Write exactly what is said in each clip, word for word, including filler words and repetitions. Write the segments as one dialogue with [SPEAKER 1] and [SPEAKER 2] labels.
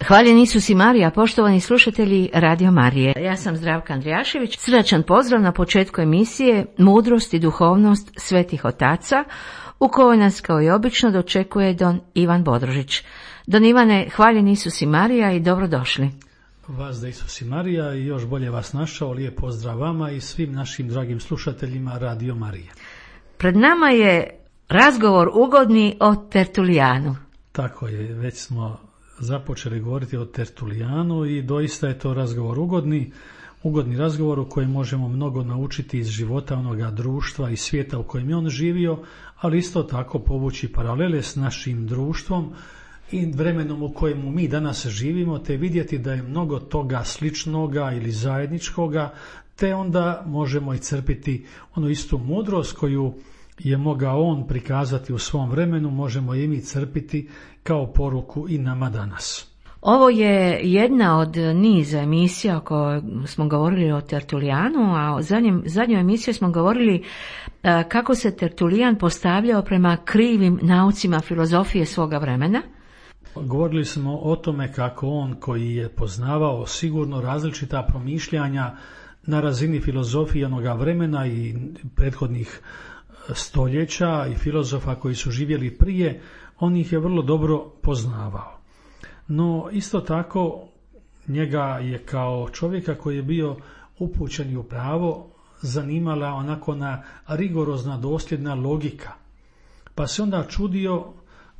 [SPEAKER 1] Hvaljen Isus i Marija, poštovani slušatelji Radio Marije. Ja sam Zdravka Andrijašević. Srdačan pozdrav na početku emisije Mudrost i duhovnost svetih otaca, u kojoj nas kao i obično dočekuje don Ivan Bodrožić. Don Ivane, hvaljen Isus i Marija i dobrodošli.
[SPEAKER 2] Vas da Isus i Marija i još bolje vas našao. Lijep pozdrav vama i svim našim dragim slušateljima Radio Marije.
[SPEAKER 1] Pred nama je razgovor ugodni o Tertulijanu.
[SPEAKER 2] Tako je, već smo započeli govoriti o Tertulijanu i doista je to razgovor ugodni, ugodni razgovor u kojem možemo mnogo naučiti iz života onoga društva i svijeta u kojem je on živio, ali isto tako povući paralele s našim društvom i vremenom u kojemu mi danas živimo, te vidjeti da je mnogo toga sličnoga ili zajedničkoga, te onda možemo i crpiti onu istu mudrost koju je mogao on prikazati u svom vremenu, možemo i mi crpiti kao poruku i nama danas.
[SPEAKER 1] Ovo je jedna od niza emisija o kojoj smo govorili o Tertulijanu, a u zadnjem, zadnjoj emisiji smo govorili a, kako se Tertulijan postavljao prema krivim naucima filozofije svoga vremena.
[SPEAKER 2] Govorili smo o tome kako on, koji je poznavao sigurno različita promišljanja na razini filozofije onoga vremena i prethodnih stoljeća i filozofa koji su živjeli prije, on ih je vrlo dobro poznavao. No isto tako njega je kao čovjeka koji je bio upućen u pravo zanimala onako na rigorozna dosljedna logika. Pa se onda čudio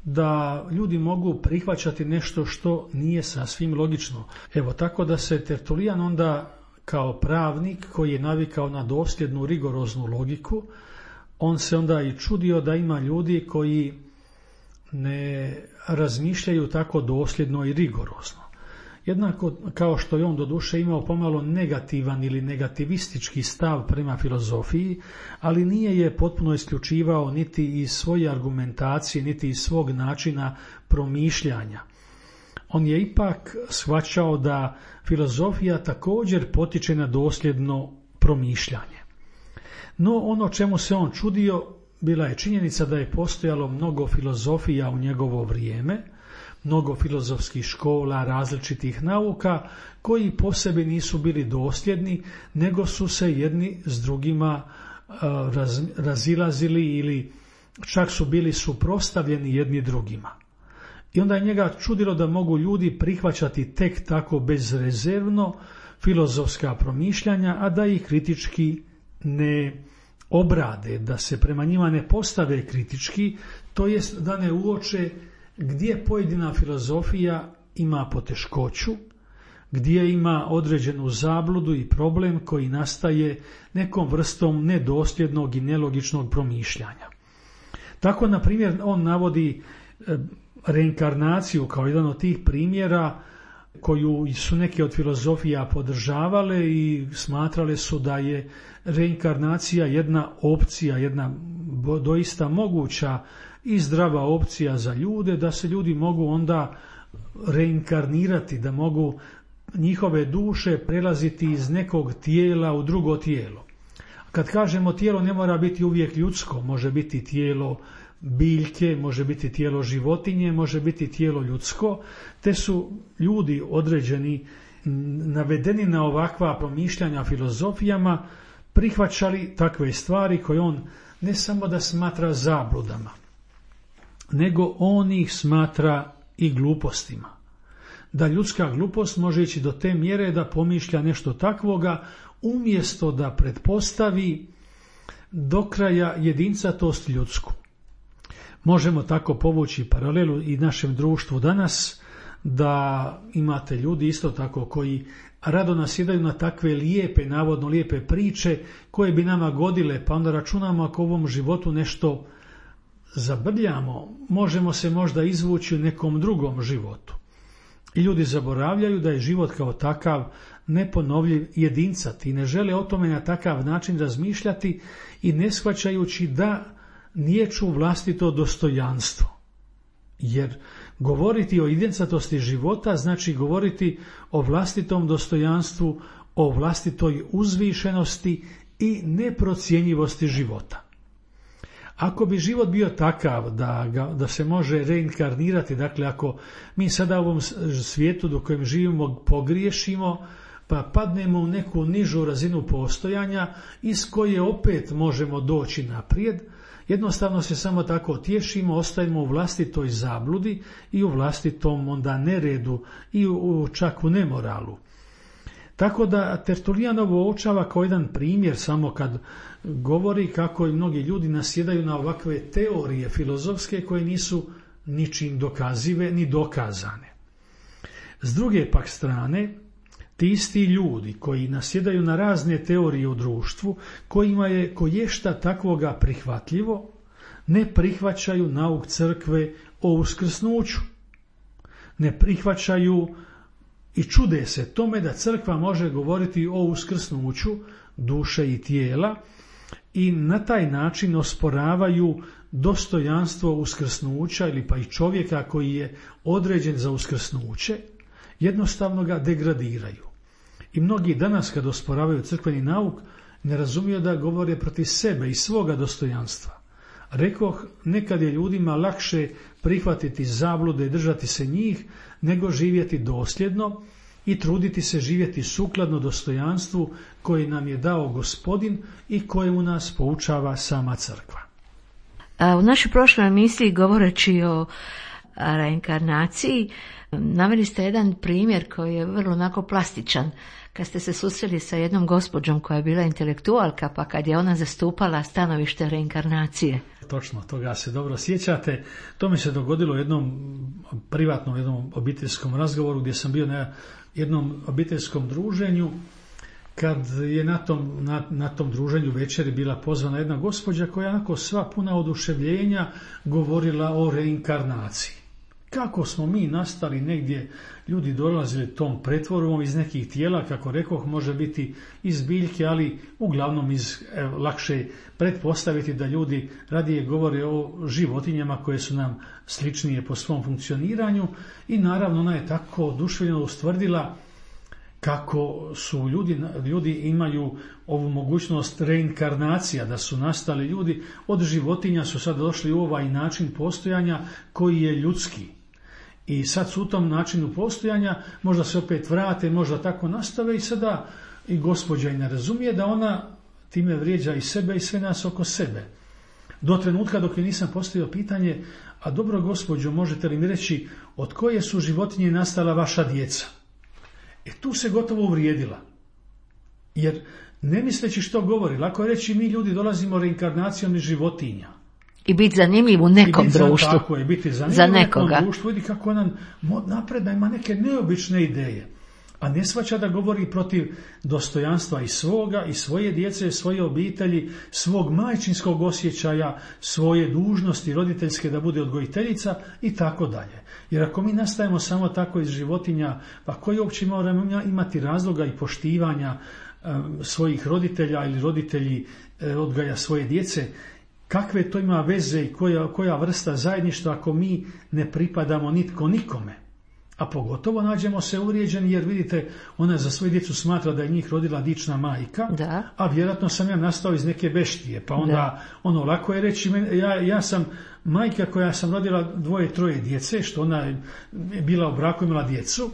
[SPEAKER 2] da ljudi mogu prihvaćati nešto što nije sasvim logično. Evo tako da se Tertulijan onda kao pravnik koji je navikao na dosljednu rigoroznu logiku, on se onda i čudio da ima ljudi koji ne razmišljaju tako dosljedno i rigorozno. Jednako kao što je on doduše imao pomalo negativan ili negativistički stav prema filozofiji, ali nije je potpuno isključivao niti iz svoje argumentacije, niti iz svog načina promišljanja. On je ipak shvaćao da filozofija također potiče na dosljedno promišljanje. No ono čemu se on čudio bila je činjenica da je postojalo mnogo filozofija u njegovo vrijeme, mnogo filozofskih škola, različitih nauka koji po sebi nisu bili dosljedni, nego su se jedni s drugima raz, razilazili ili čak su bili suprotstavljeni jedni drugima. I onda je njega čudilo da mogu ljudi prihvaćati tek tako bezrezervno filozofska promišljanja, a da ih kritički ne obrade, da se prema njima ne postave kritički, to jest da ne uoče gdje pojedina filozofija ima poteškoću, gdje ima određenu zabludu i problem koji nastaje nekom vrstom nedosljednog i nelogičnog promišljanja. Tako, na primjer, on navodi reinkarnaciju kao jedan od tih primjera koju su neke od filozofija podržavale i smatrale su da je reinkarnacija jedna opcija, jedna doista moguća i zdrava opcija za ljude, da se ljudi mogu onda reinkarnirati, da mogu njihove duše prelaziti iz nekog tijela u drugo tijelo. Kad kažemo tijelo, ne mora biti uvijek ljudsko, može biti tijelo biljke, može biti tijelo životinje, može biti tijelo ljudsko, te su ljudi određeni navedeni na ovakva promišljanja filozofijama prihvaćali takve stvari koje on ne samo da smatra zabludama, nego on ih smatra i glupostima. Da ljudska glupost može ići do te mjere da pomišlja nešto takvoga umjesto da pretpostavi do kraja jedincatost ljudsku. Možemo tako povući paralelu i našem društvu danas, da imate ljudi isto tako koji rado nasjedaju na takve lijepe, navodno lijepe priče koje bi nama godile, pa onda računamo ako u ovom životu nešto zabrljamo, možemo se možda izvući u nekom drugom životu. I ljudi zaboravljaju da je život kao takav neponovljiv, jedincat i ne žele o tome na takav način razmišljati i ne shvaćajući da niječu vlastito dostojanstvo. Jer govoriti o jedincatosti života znači govoriti o vlastitom dostojanstvu, o vlastitoj uzvišenosti i neprocjenjivosti života. Ako bi život bio takav da, ga, da se može reinkarnirati, dakle ako mi sada u ovom svijetu do kojem živimo pogriješimo, pa padnemo u neku nižu razinu postojanja iz koje opet možemo doći naprijed, jednostavno se samo tako tješimo, ostajemo u vlastitoj zabludi i u vlastitom onda neredu i u, čak u nemoralu. Tako da Tertulijan ovo uočava kao jedan primjer samo kad govori kako i mnogi ljudi nasjedaju na ovakve teorije filozofske koje nisu ničim dokazive ni dokazane. S druge pak strane, ti isti ljudi koji nasjedaju na razne teorije u društvu, kojima je koješta takvoga prihvatljivo, ne prihvaćaju nauk crkve o uskrsnuću. Ne prihvaćaju i čude se tome da crkva može govoriti o uskrsnuću duše i tijela i na taj način osporavaju dostojanstvo uskrsnuća ili pa i čovjeka koji je određen za uskrsnuće, jednostavno ga degradiraju. I mnogi danas kad osporavaju crkveni nauk ne razumiju da govore protiv sebe i svoga dostojanstva. Rekoh, nekad je ljudima lakše prihvatiti zablude i držati se njih, nego živjeti dosljedno i truditi se živjeti sukladno dostojanstvu koji nam je dao Gospodin i kojemu nas poučava sama crkva.
[SPEAKER 1] U našoj prošloj emisiji, govoreći o reinkarnaciji, naveli ste jedan primjer koji je vrlo onako plastičan. Kad ste se susreli sa jednom gospođom koja je bila intelektualka, pa kad je ona zastupala stanovište reinkarnacije.
[SPEAKER 2] Točno, toga se dobro sjećate. To mi se dogodilo u jednom privatnom, jednom obiteljskom razgovoru gdje sam bio na jednom obiteljskom druženju, kad je na tom, na, na tom druženju večeri bila pozvana jedna gospođa koja onako sva puna oduševljenja govorila o reinkarnaciji. Kako smo mi nastali negdje, ljudi dolazili tom pretvorbom iz nekih tijela, kako rekoh, može biti iz biljke, ali uglavnom iz, evo, lakše pretpostaviti da ljudi radije govore o životinjama koje su nam sličnije po svom funkcioniranju i naravno ona je tako oduševljeno ustvrdila kako su ljudi, ljudi imaju ovu mogućnost reinkarnacija, da su nastali ljudi od životinja, su sad došli u ovaj način postojanja koji je ljudski. I sad su u tom načinu postojanja, možda se opet vrate, možda tako nastave i sada i gospođa i ne razumije da ona time vrijeđa i sebe i sve nas oko sebe. Do trenutka dok je nisam postavio pitanje, a dobro gospođo, možete li mi reći od koje su životinje nastala vaša djeca? E tu se gotovo uvrijedila. Jer ne misleći što govori, lako je reći mi ljudi dolazimo reinkarnacijom iz životinja.
[SPEAKER 1] I biti zanimljiv u nekom
[SPEAKER 2] biti
[SPEAKER 1] društvu.
[SPEAKER 2] Tako je, biti zanimljiv
[SPEAKER 1] za
[SPEAKER 2] u nekom
[SPEAKER 1] nekoga.
[SPEAKER 2] društvu. Vidi kako ona napredna, ima neke neobične ideje. A ne shvaća da govori protiv dostojanstva i svoga, i svoje djece, svoje obitelji, svog majčinskog osjećaja, svoje dužnosti roditeljske da bude odgojiteljica i tako dalje. Jer ako mi nastajemo samo tako iz životinja, pa koji uopće moramo imati razloga i poštivanja um, svojih roditelja ili roditelji um, odgaja svoje djece, kakve to ima veze i koja, koja vrsta zajedništva ako mi ne pripadamo nitko nikome? A pogotovo nađemo se uvrijeđeni jer vidite, ona za svoju djecu smatra da je njih rodila dična majka, da. A vjerojatno sam ja nastao iz neke beštije, pa onda da. Ono lako je reći, ja, ja sam majka koja sam rodila dvoje, troje djece, što ona je bila u braku, imala djecu.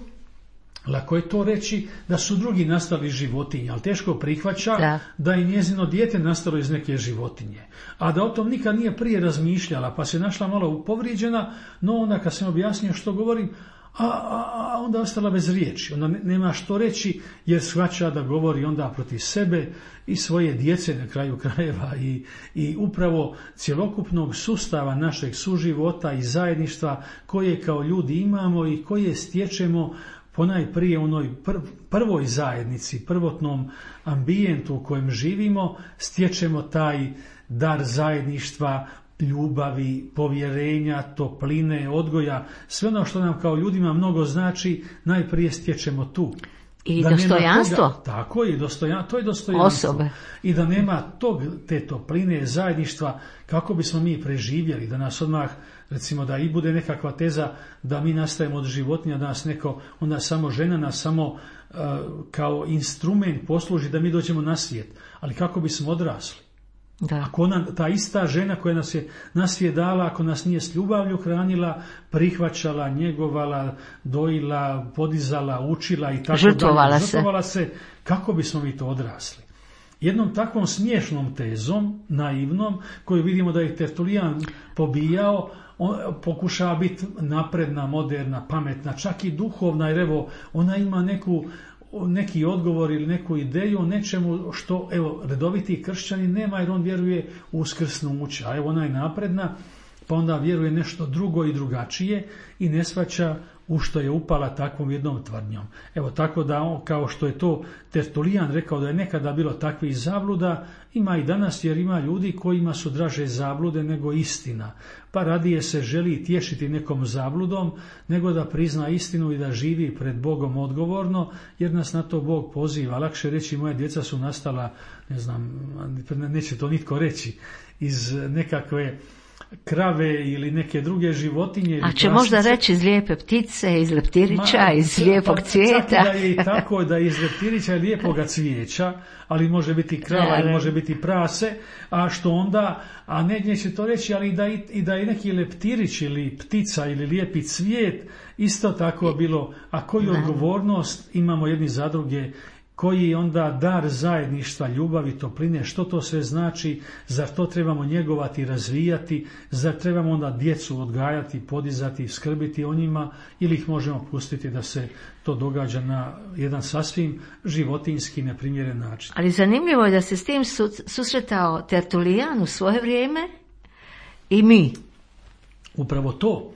[SPEAKER 2] Lako je to reći da su drugi nastali iz životinje, ali teško prihvaća da, da je njezino dijete nastalo iz neke životinje. A da o tom nikad nije prije razmišljala, pa se našla malo povrijeđena, no onda kad sam objasnio što govorim, a, a, a onda ostala bez riječi. Onda nema što reći jer shvaća da govori onda protiv sebe i svoje djece na kraju krajeva i, i upravo cjelokupnog sustava našeg suživota i zajedništva koje kao ljudi imamo i koje stječemo ponajprije u onoj prvoj zajednici, prvotnom ambijentu u kojem živimo, stječemo taj dar zajedništva, ljubavi, povjerenja, topline, odgoja, sve ono što nam kao ljudima mnogo znači, najprije stječemo tu.
[SPEAKER 1] I da dostojanstvo.
[SPEAKER 2] Toga, tako je, dostojan, to je dostojanstvo.
[SPEAKER 1] Osobe.
[SPEAKER 2] I da nema tog, te topline, zajedništva, kako bismo mi preživjeli, da nas odmah, recimo da i bude nekakva teza da mi nastajemo od životinja, da nas neko, onda samo žena nas samo uh, kao instrument posluži da mi dođemo na svijet. Ali kako bismo odrasli?
[SPEAKER 1] Da.
[SPEAKER 2] Ako ona, ta ista žena koja nas je, nas je dala, ako nas nije s ljubavlju hranila, prihvaćala, njegovala, dojila, podizala, učila i tako
[SPEAKER 1] žrtvovala
[SPEAKER 2] dalje,
[SPEAKER 1] se.
[SPEAKER 2] žrtvovala se, kako bismo mi to odrasli? Jednom takvom smiješnom tezom, naivnom, koju vidimo da je Tertulijan pobijao, on pokušava biti napredna, moderna, pametna, čak i duhovna, jer evo, ona ima neku, neki odgovor ili neku ideju o nečemu što, evo, redoviti kršćani nema, jer on vjeruje u uskrsnuće, a evo ona je napredna, pa onda vjeruje nešto drugo i drugačije i ne shvaća u što je upala takvom jednom tvrdnjom. Evo, tako da, on, kao što je to Tertulijan rekao da je nekada bilo takvih zabluda, ima i danas, jer ima ljudi kojima su draže zablude nego istina. Pa radije se želi tješiti nekom zabludom, nego da prizna istinu i da živi pred Bogom odgovorno, jer nas na to Bog poziva. Lakše reći, moja djeca su nastala, ne znam, neće to nitko reći, iz nekakve krave ili neke druge životinje.
[SPEAKER 1] A će možda reći iz lijepe ptice, iz leptirića, Ma, iz lijepog cvijeta.
[SPEAKER 2] Čak da je i tako da je iz leptirića i lijepoga cvijeća, ali može biti krava i može biti prase, a što onda, a ne, neće to reći, ali da i, i da je neki leptirić ili ptica ili lijepi cvijet, isto tako bilo, a koju odgovornost imamo jedni za druge, koji onda dar zajedništva, ljubavi, topline, što to sve znači, zar to trebamo njegovati, razvijati, zar trebamo onda djecu odgajati, podizati, skrbiti o njima, ili ih možemo pustiti da se to događa na jedan sasvim životinjski neprimjeren način.
[SPEAKER 1] Ali zanimljivo je da se s tim susretao Tertulijan u svoje vrijeme i mi.
[SPEAKER 2] Upravo to.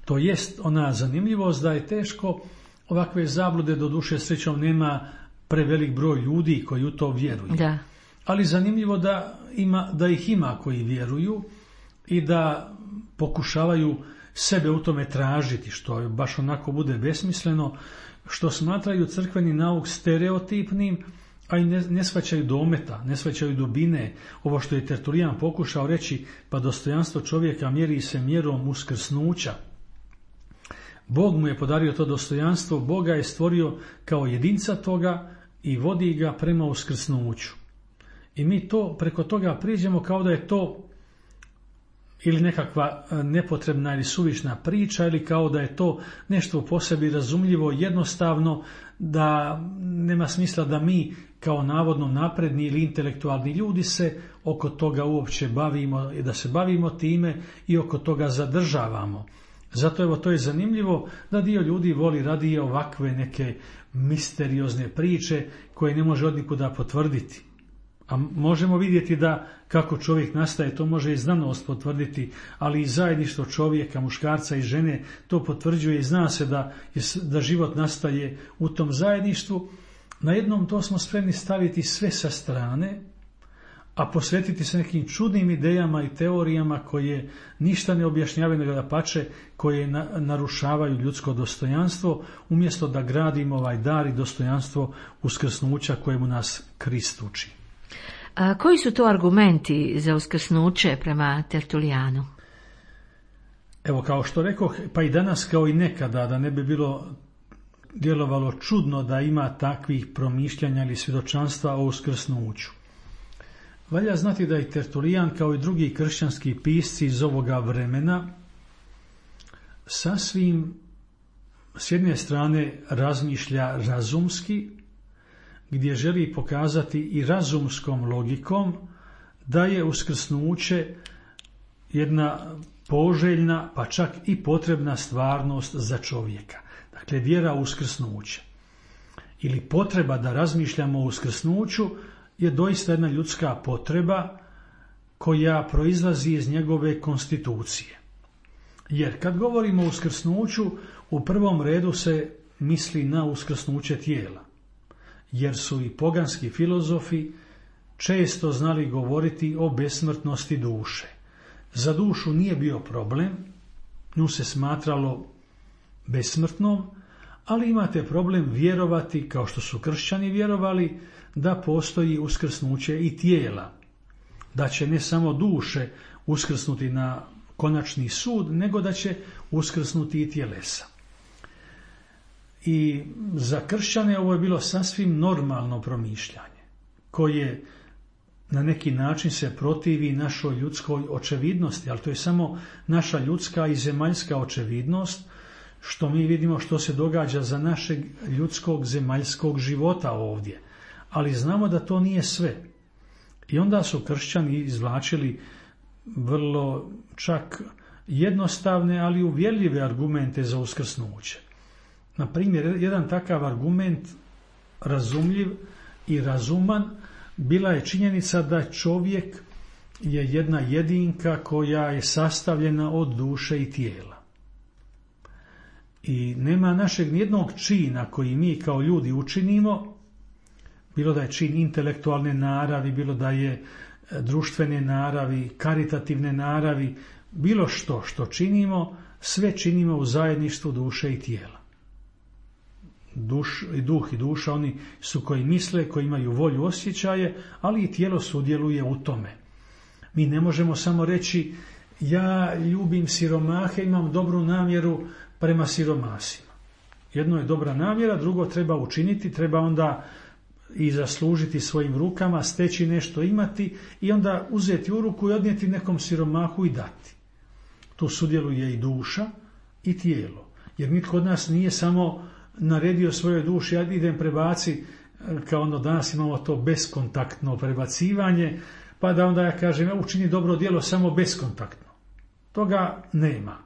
[SPEAKER 2] To jest ona zanimljivost da je teško ovakve zablude, do duše srećom nema prevelik broj ljudi koji u to vjeruju.
[SPEAKER 1] Da.
[SPEAKER 2] Ali zanimljivo da, ima, da ih ima koji vjeruju i da pokušavaju sebe u tome tražiti, što baš onako bude besmisleno, što smatraju crkveni nauk stereotipnim, a i ne, ne shvaćaju dometa, ne shvaćaju dubine. Ovo što je Tertulijan pokušao reći, pa dostojanstvo čovjeka mjeri se mjerom uskrsnuća. Bog mu je podario to dostojanstvo, Boga je stvorio kao jedinca toga i vodi ga prema uskrsnuću. I mi to preko toga priđemo kao da je to ili nekakva nepotrebna ili suvišna priča, ili kao da je to nešto po sebi razumljivo, jednostavno, da nema smisla da mi kao navodno napredni ili intelektualni ljudi se oko toga uopće bavimo i da se bavimo time i oko toga zadržavamo. Zato evo to je zanimljivo da dio ljudi voli radije ovakve neke misteriozne priče koje ne može od nikuda potvrditi. A možemo vidjeti da kako čovjek nastaje, to može i znanost potvrditi, ali i zajedništvo čovjeka, muškarca i žene to potvrđuje i zna se da, da život nastaje u tom zajedništvu. Na jednom to smo spremni staviti sve sa strane, a posvetiti se nekim čudnim idejama i teorijama koje ništa ne objašnjavaju, nego dapače, koje na, narušavaju ljudsko dostojanstvo, umjesto da gradimo ovaj dar i dostojanstvo uskrsnuća kojemu nas Krist uči.
[SPEAKER 1] A koji su to argumenti za uskrsnuće prema Tertulijanu?
[SPEAKER 2] Evo, kao što rekoh, pa i danas kao i nekada, da ne bi bilo djelovalo čudno da ima takvih promišljanja ili svjedočanstva o uskrsnuću. Valja znati da i Tertulijan, kao i drugi kršćanski pisci iz ovoga vremena, sasvim s jedne strane razmišlja razumski, gdje želi pokazati i razumskom logikom da je uskrsnuće jedna poželjna, pa čak i potrebna stvarnost za čovjeka. Dakle, vjera u uskrsnuće ili potreba da razmišljamo o uskrsnuću je doista jedna ljudska potreba koja proizlazi iz njegove konstitucije. Jer kad govorimo o uskrsnuću, u prvom redu se misli na uskrsnuće tijela, jer su i poganski filozofi često znali govoriti o besmrtnosti duše. Za dušu nije bio problem, nju se smatralo besmrtnom, ali imate problem vjerovati, kao što su kršćani vjerovali, da postoji uskrsnuće i tijela, da će ne samo duše uskrsnuti na konačni sud, nego da će uskrsnuti i tjelesa. I za kršćane ovo je bilo sasvim normalno promišljanje, koje na neki način se protivi našoj ljudskoj očevidnosti, ali to je samo naša ljudska i zemaljska očevidnost, što mi vidimo što se događa za našeg ljudskog zemaljskog života ovdje. Ali znamo da to nije sve. I onda su kršćani izvlačili vrlo čak jednostavne, ali uvjerljive argumente za uskrsnuće. Na primjer, jedan takav argument, razumljiv i razuman, bila je činjenica da čovjek je jedna jedinka koja je sastavljena od duše i tijela. I nema našeg nijednog čina koji mi kao ljudi učinimo, bilo da je čin intelektualne naravi, bilo da je društvene naravi, karitativne naravi, bilo što što činimo, sve činimo u zajedništvu duše i tijela. Duš, i duh i duša, oni su koji misle, koji imaju volju, osjećaje, ali i tijelo sudjeluje u tome. Mi ne možemo samo reći ja ljubim siromahe, imam dobru namjeru prema siromasima. Jedno je dobra namjera, drugo treba učiniti, treba onda i zaslužiti svojim rukama, steći nešto, imati i onda uzeti u ruku i odnijeti nekom siromahu i dati. Tu sudjeluje i duša i tijelo. Jer nitko od nas nije samo naredio svojoj duši, ja idem prebaci, kao ono danas imamo to beskontaktno prebacivanje, pa da onda ja kažem ja učini dobro djelo samo beskontaktno. Toga nema.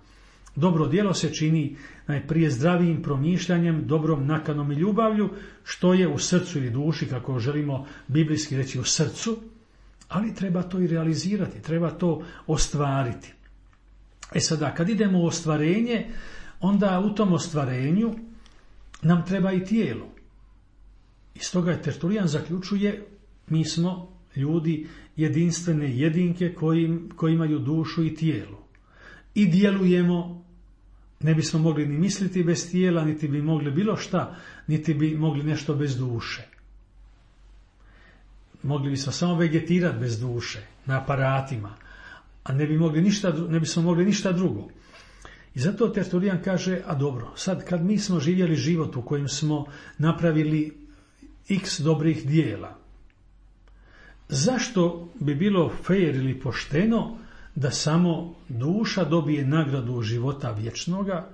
[SPEAKER 2] Dobro djelo se čini najprije zdravijim promišljanjem, dobrom nakanom i ljubavlju, što je u srcu ili duši, kako želimo biblijski reći u srcu, ali treba to i realizirati, treba to ostvariti. E sada, kad idemo u ostvarenje, onda u tom ostvarenju nam treba i tijelo. I stoga je Tertulijan zaključuje, mi smo ljudi jedinstvene jedinke koji, koji imaju dušu i tijelo. I djelujemo, ne bismo mogli ni misliti bez tijela, niti bi mogli bilo šta, niti bi mogli nešto bez duše. Mogli bismo samo vegetirati bez duše, na aparatima, a ne bi mogli ništa, ne bismo mogli ništa drugo. I zato Tertulijan kaže, a dobro, sad kad mi smo živjeli život u kojem smo napravili x dobrih dijela, zašto bi bilo fair ili pošteno da samo duša dobije nagradu života vječnoga,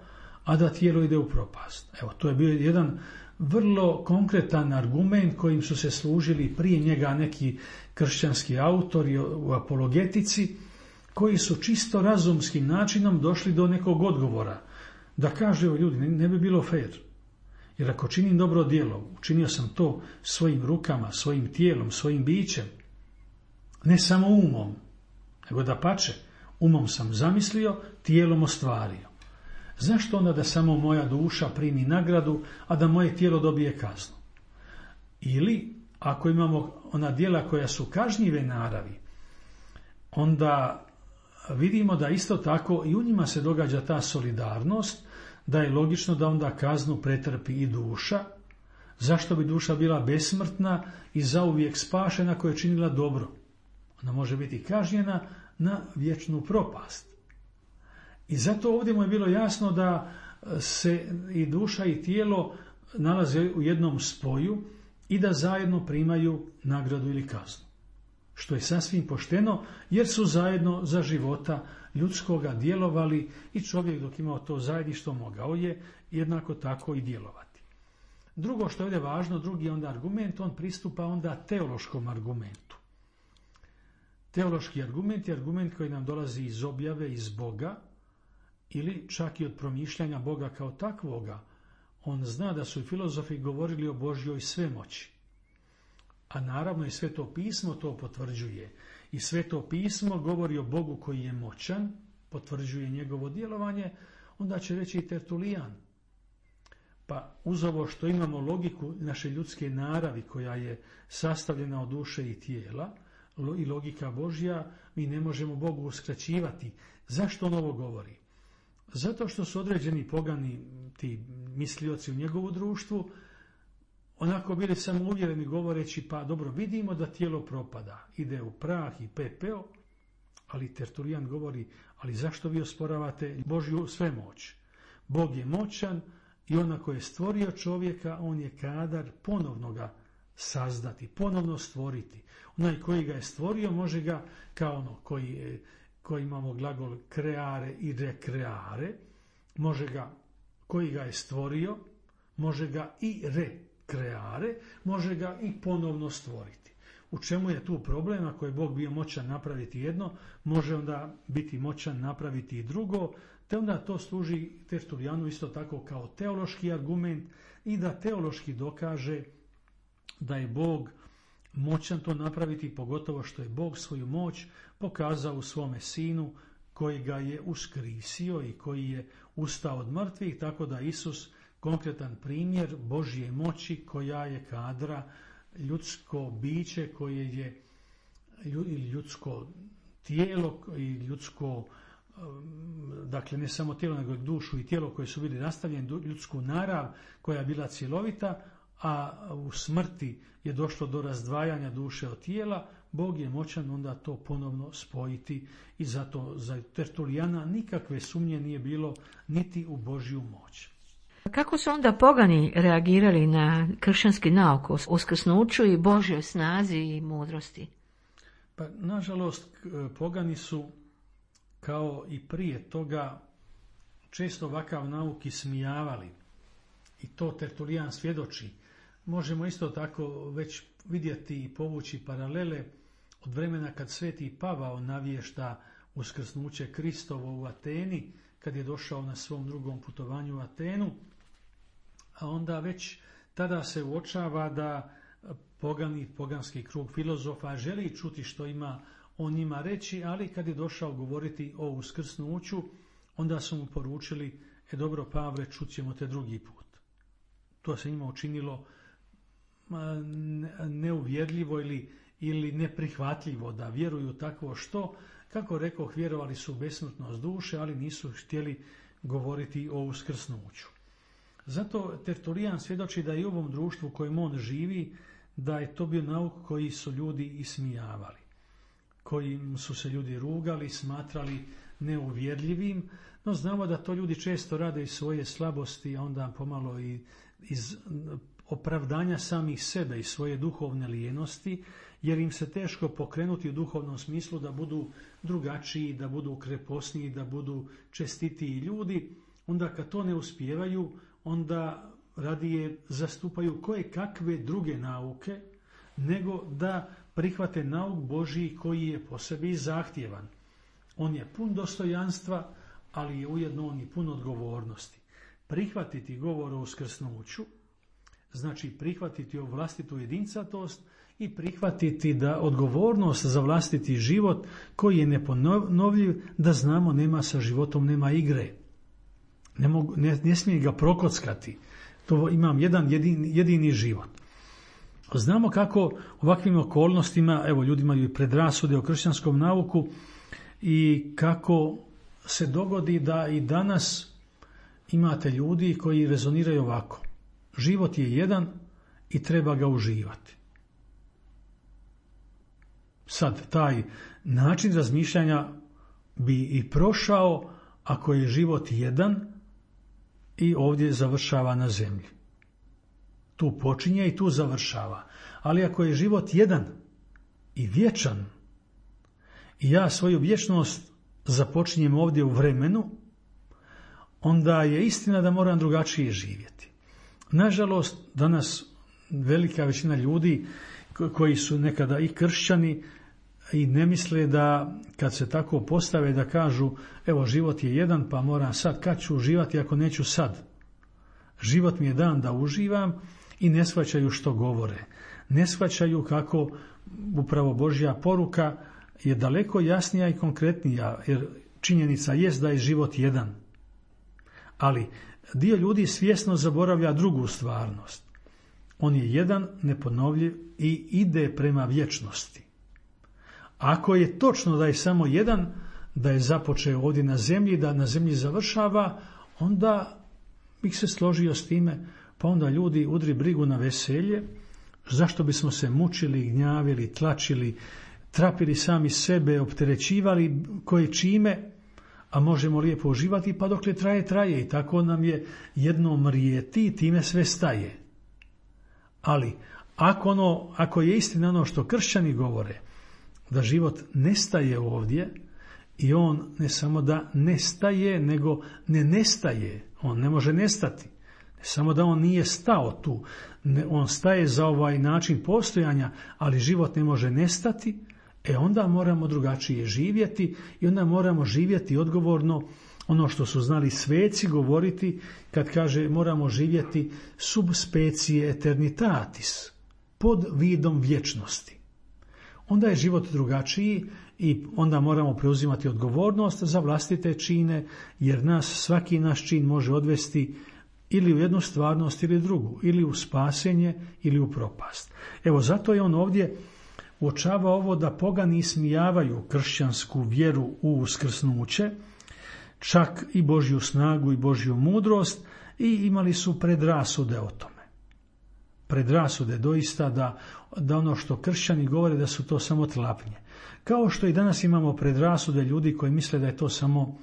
[SPEAKER 2] a da tijelo ide u propast? Evo, to je bio jedan vrlo konkretan argument kojim su se služili prije njega neki kršćanski autori u apologetici, koji su čisto razumskim načinom došli do nekog odgovora. Da kaže, evo ljudi, ne bi bilo fair. Jer ako činim dobro djelo, učinio sam to svojim rukama, svojim tijelom, svojim bićem, ne samo umom, nego da pače, umom sam zamislio, tijelom ostvario. Zašto onda da samo moja duša primi nagradu, a da moje tijelo dobije kaznu? Ili, ako imamo ona djela koja su kažnjive naravi, onda vidimo da isto tako i u njima se događa ta solidarnost, da je logično da onda kaznu pretrpi i duša. Zašto bi duša bila besmrtna i zauvijek spašena koja je činila dobro? Ona može biti kažnjena na vječnu propast. I zato ovdje mu je bilo jasno da se i duša i tijelo nalaze u jednom spoju i da zajedno primaju nagradu ili kaznu. Što je sasvim pošteno, jer su zajedno za života ljudskoga djelovali i čovjek dok imao to zajedništvo mogao je jednako tako i djelovati. Drugo što je ovdje važno, drugi onda argument, on pristupa onda teološkom argumentu. Teološki argument je argument koji nam dolazi iz objave, iz Boga, ili čak i od promišljanja Boga kao takvoga. On zna da su i filozofi govorili o Božjoj svemoći. A naravno i Sveto pismo to potvrđuje. I Sveto pismo govori o Bogu koji je moćan, potvrđuje njegovo djelovanje, onda će reći i Tertulijan. Pa uz ovo što imamo logiku naše ljudske naravi koja je sastavljena od duše i tijela, i logika Božja, mi ne možemo Bogu uskraćivati. Zašto on ovo govori? Zato što su određeni pogani ti mislioci u njegovu društvu onako bili samouvjereni govoreći, pa dobro, vidimo da tijelo propada, ide u prah i pepeo, ali Tertulijan govori, ali zašto vi osporavate Božju svemoć? Bog je moćan i onako je stvorio čovjeka, on je kadar ponovno ga sazdati, ponovno stvoriti. Onaj koji ga je stvorio može ga, kao ono koji, je, koji imamo glagol kreare i rekreare, može ga, koji ga je stvorio, može ga i rekreare, može ga i ponovno stvoriti. U čemu je tu problem? Ako je Bog bio moćan napraviti jedno, može onda biti moćan napraviti i drugo, te onda to služi Tertulijanu isto tako kao teološki argument i da teološki dokaže da je Bog moćan to napraviti, pogotovo što je Bog svoju moć pokazao u svome sinu koji ga je uskrisio i koji je ustao od mrtvih, tako da Isus konkretan primjer Božje moći koja je kadra ljudsko biće koje je ljudsko tijelo i ljudsko, dakle ne samo tijelo nego dušu i tijelo koje su bili nastavljeni, ljudsku narav koja je bila cjelovita, a u smrti je došlo do razdvajanja duše od tijela, Bog je moćan onda to ponovno spojiti i zato za Tertulijana nikakve sumnje nije bilo niti u Božju moć.
[SPEAKER 1] Kako su onda pogani reagirali na kršćanski nauk o uskrsnuću i Božjoj snazi i mudrosti?
[SPEAKER 2] Pa, nažalost, pogani su kao i prije toga često ovakav nauk ismijavali. I to Tertulijan svjedoči. Možemo isto tako već vidjeti i povući paralele od vremena kad Sveti Pavao navješta uskrsnuće Kristovo u Ateni, kad je došao na svom drugom putovanju u Atenu, a onda već tada se uočava da pogani, poganski krug filozofa želi čuti što ima on njima reći, ali kad je došao govoriti o uskrsnuću, onda su mu poručili, e dobro Pavle, čućemo te drugi put. To se njima učinilo neuvjerljivo ili, ili neprihvatljivo da vjeruju takvo što, kako rekoh, vjerovali su u besmrtnost duše, ali nisu htjeli govoriti o uskrsnuću. Zato Tertulijan svjedoči da i u ovom društvu u kojem on živi, da je to bio nauk koji su ljudi ismijavali, kojim su se ljudi rugali, smatrali neuvjerljivim, no znamo da to ljudi često rade iz svoje slabosti, a onda pomalo i iz opravdanja samih sebe i svoje duhovne lijenosti, jer im se teško pokrenuti u duhovnom smislu da budu drugačiji, da budu kreposniji, da budu čestitiji ljudi. Onda kad to ne uspijevaju, onda radije zastupaju koje kakve druge nauke, nego da prihvate nauk Božji koji je po sebi zahtjevan. On je pun dostojanstva, ali je ujedno on i pun odgovornosti. Prihvatiti govor o uskrsnuću znači prihvatiti ovu vlastitu jedincatost i prihvatiti da odgovornost za vlastiti život koji je neponovljiv, da znamo nema sa životom, nema igre. Ne, mogu, ne, ne smije ga prokockati. To imam jedan jedini, jedini život. Znamo kako ovakvim okolnostima, evo ljudi imaju i predrasude o kršćanskom nauku i kako se dogodi da i danas imate ljudi koji rezoniraju ovako. Život je jedan i treba ga uživati. Sad, taj način razmišljanja bi i prošao ako je život jedan i ovdje završava na zemlji. Tu počinje i tu završava. Ali ako je život jedan i vječan i ja svoju vječnost započinjem ovdje u vremenu, onda je istina da moram drugačije živjeti. Nažalost, danas velika većina ljudi koji su nekada i kršćani i ne misle da kad se tako postave da kažu evo život je jedan pa moram sad, kad ću uživati ako neću sad. Život mi je dan da uživam i ne shvaćaju što govore. Ne shvaćaju kako upravo Božja poruka je daleko jasnija i konkretnija, jer činjenica jest da je život jedan. Ali dio ljudi svjesno zaboravlja drugu stvarnost. On je jedan, neponovljiv i ide prema vječnosti. Ako je točno da je samo jedan, da je započeo ovdje na zemlji, da na zemlji završava, onda bih se složio s time, pa onda ljudi udri brigu na veselje, zašto bismo se mučili, gnjavili, tlačili, trapili sami sebe, opterećivali koje čime, a možemo lijepo uživati, pa dokle traje, traje i tako nam je jedno mrijeti i time sve staje. Ali ako, ono, ako je istina ono što kršćani govore, da život nestaje ovdje, i on ne samo da nestaje, nego ne nestaje, on ne može nestati. Ne samo da on nije stao tu, ne, on staje za ovaj način postojanja, ali život ne može nestati, e onda moramo drugačije živjeti i onda moramo živjeti odgovorno, ono što su znali sveci govoriti kad kaže moramo živjeti sub specie eternitatis, pod vidom vječnosti. Onda je život drugačiji i onda moramo preuzimati odgovornost za vlastite čine, jer nas svaki naš čin može odvesti ili u jednu stvarnost ili drugu, ili u spasenje ili u propast. Evo zato je on ovdje uočava ovo da pogani ismijavaju kršćansku vjeru u uskrsnuće, čak i Božju snagu i Božju mudrost, i imali su predrasude o tome. Predrasude doista da, da ono što kršćani govore da su to samo tlapnje. Kao što i danas imamo predrasude ljudi koji misle da je to samo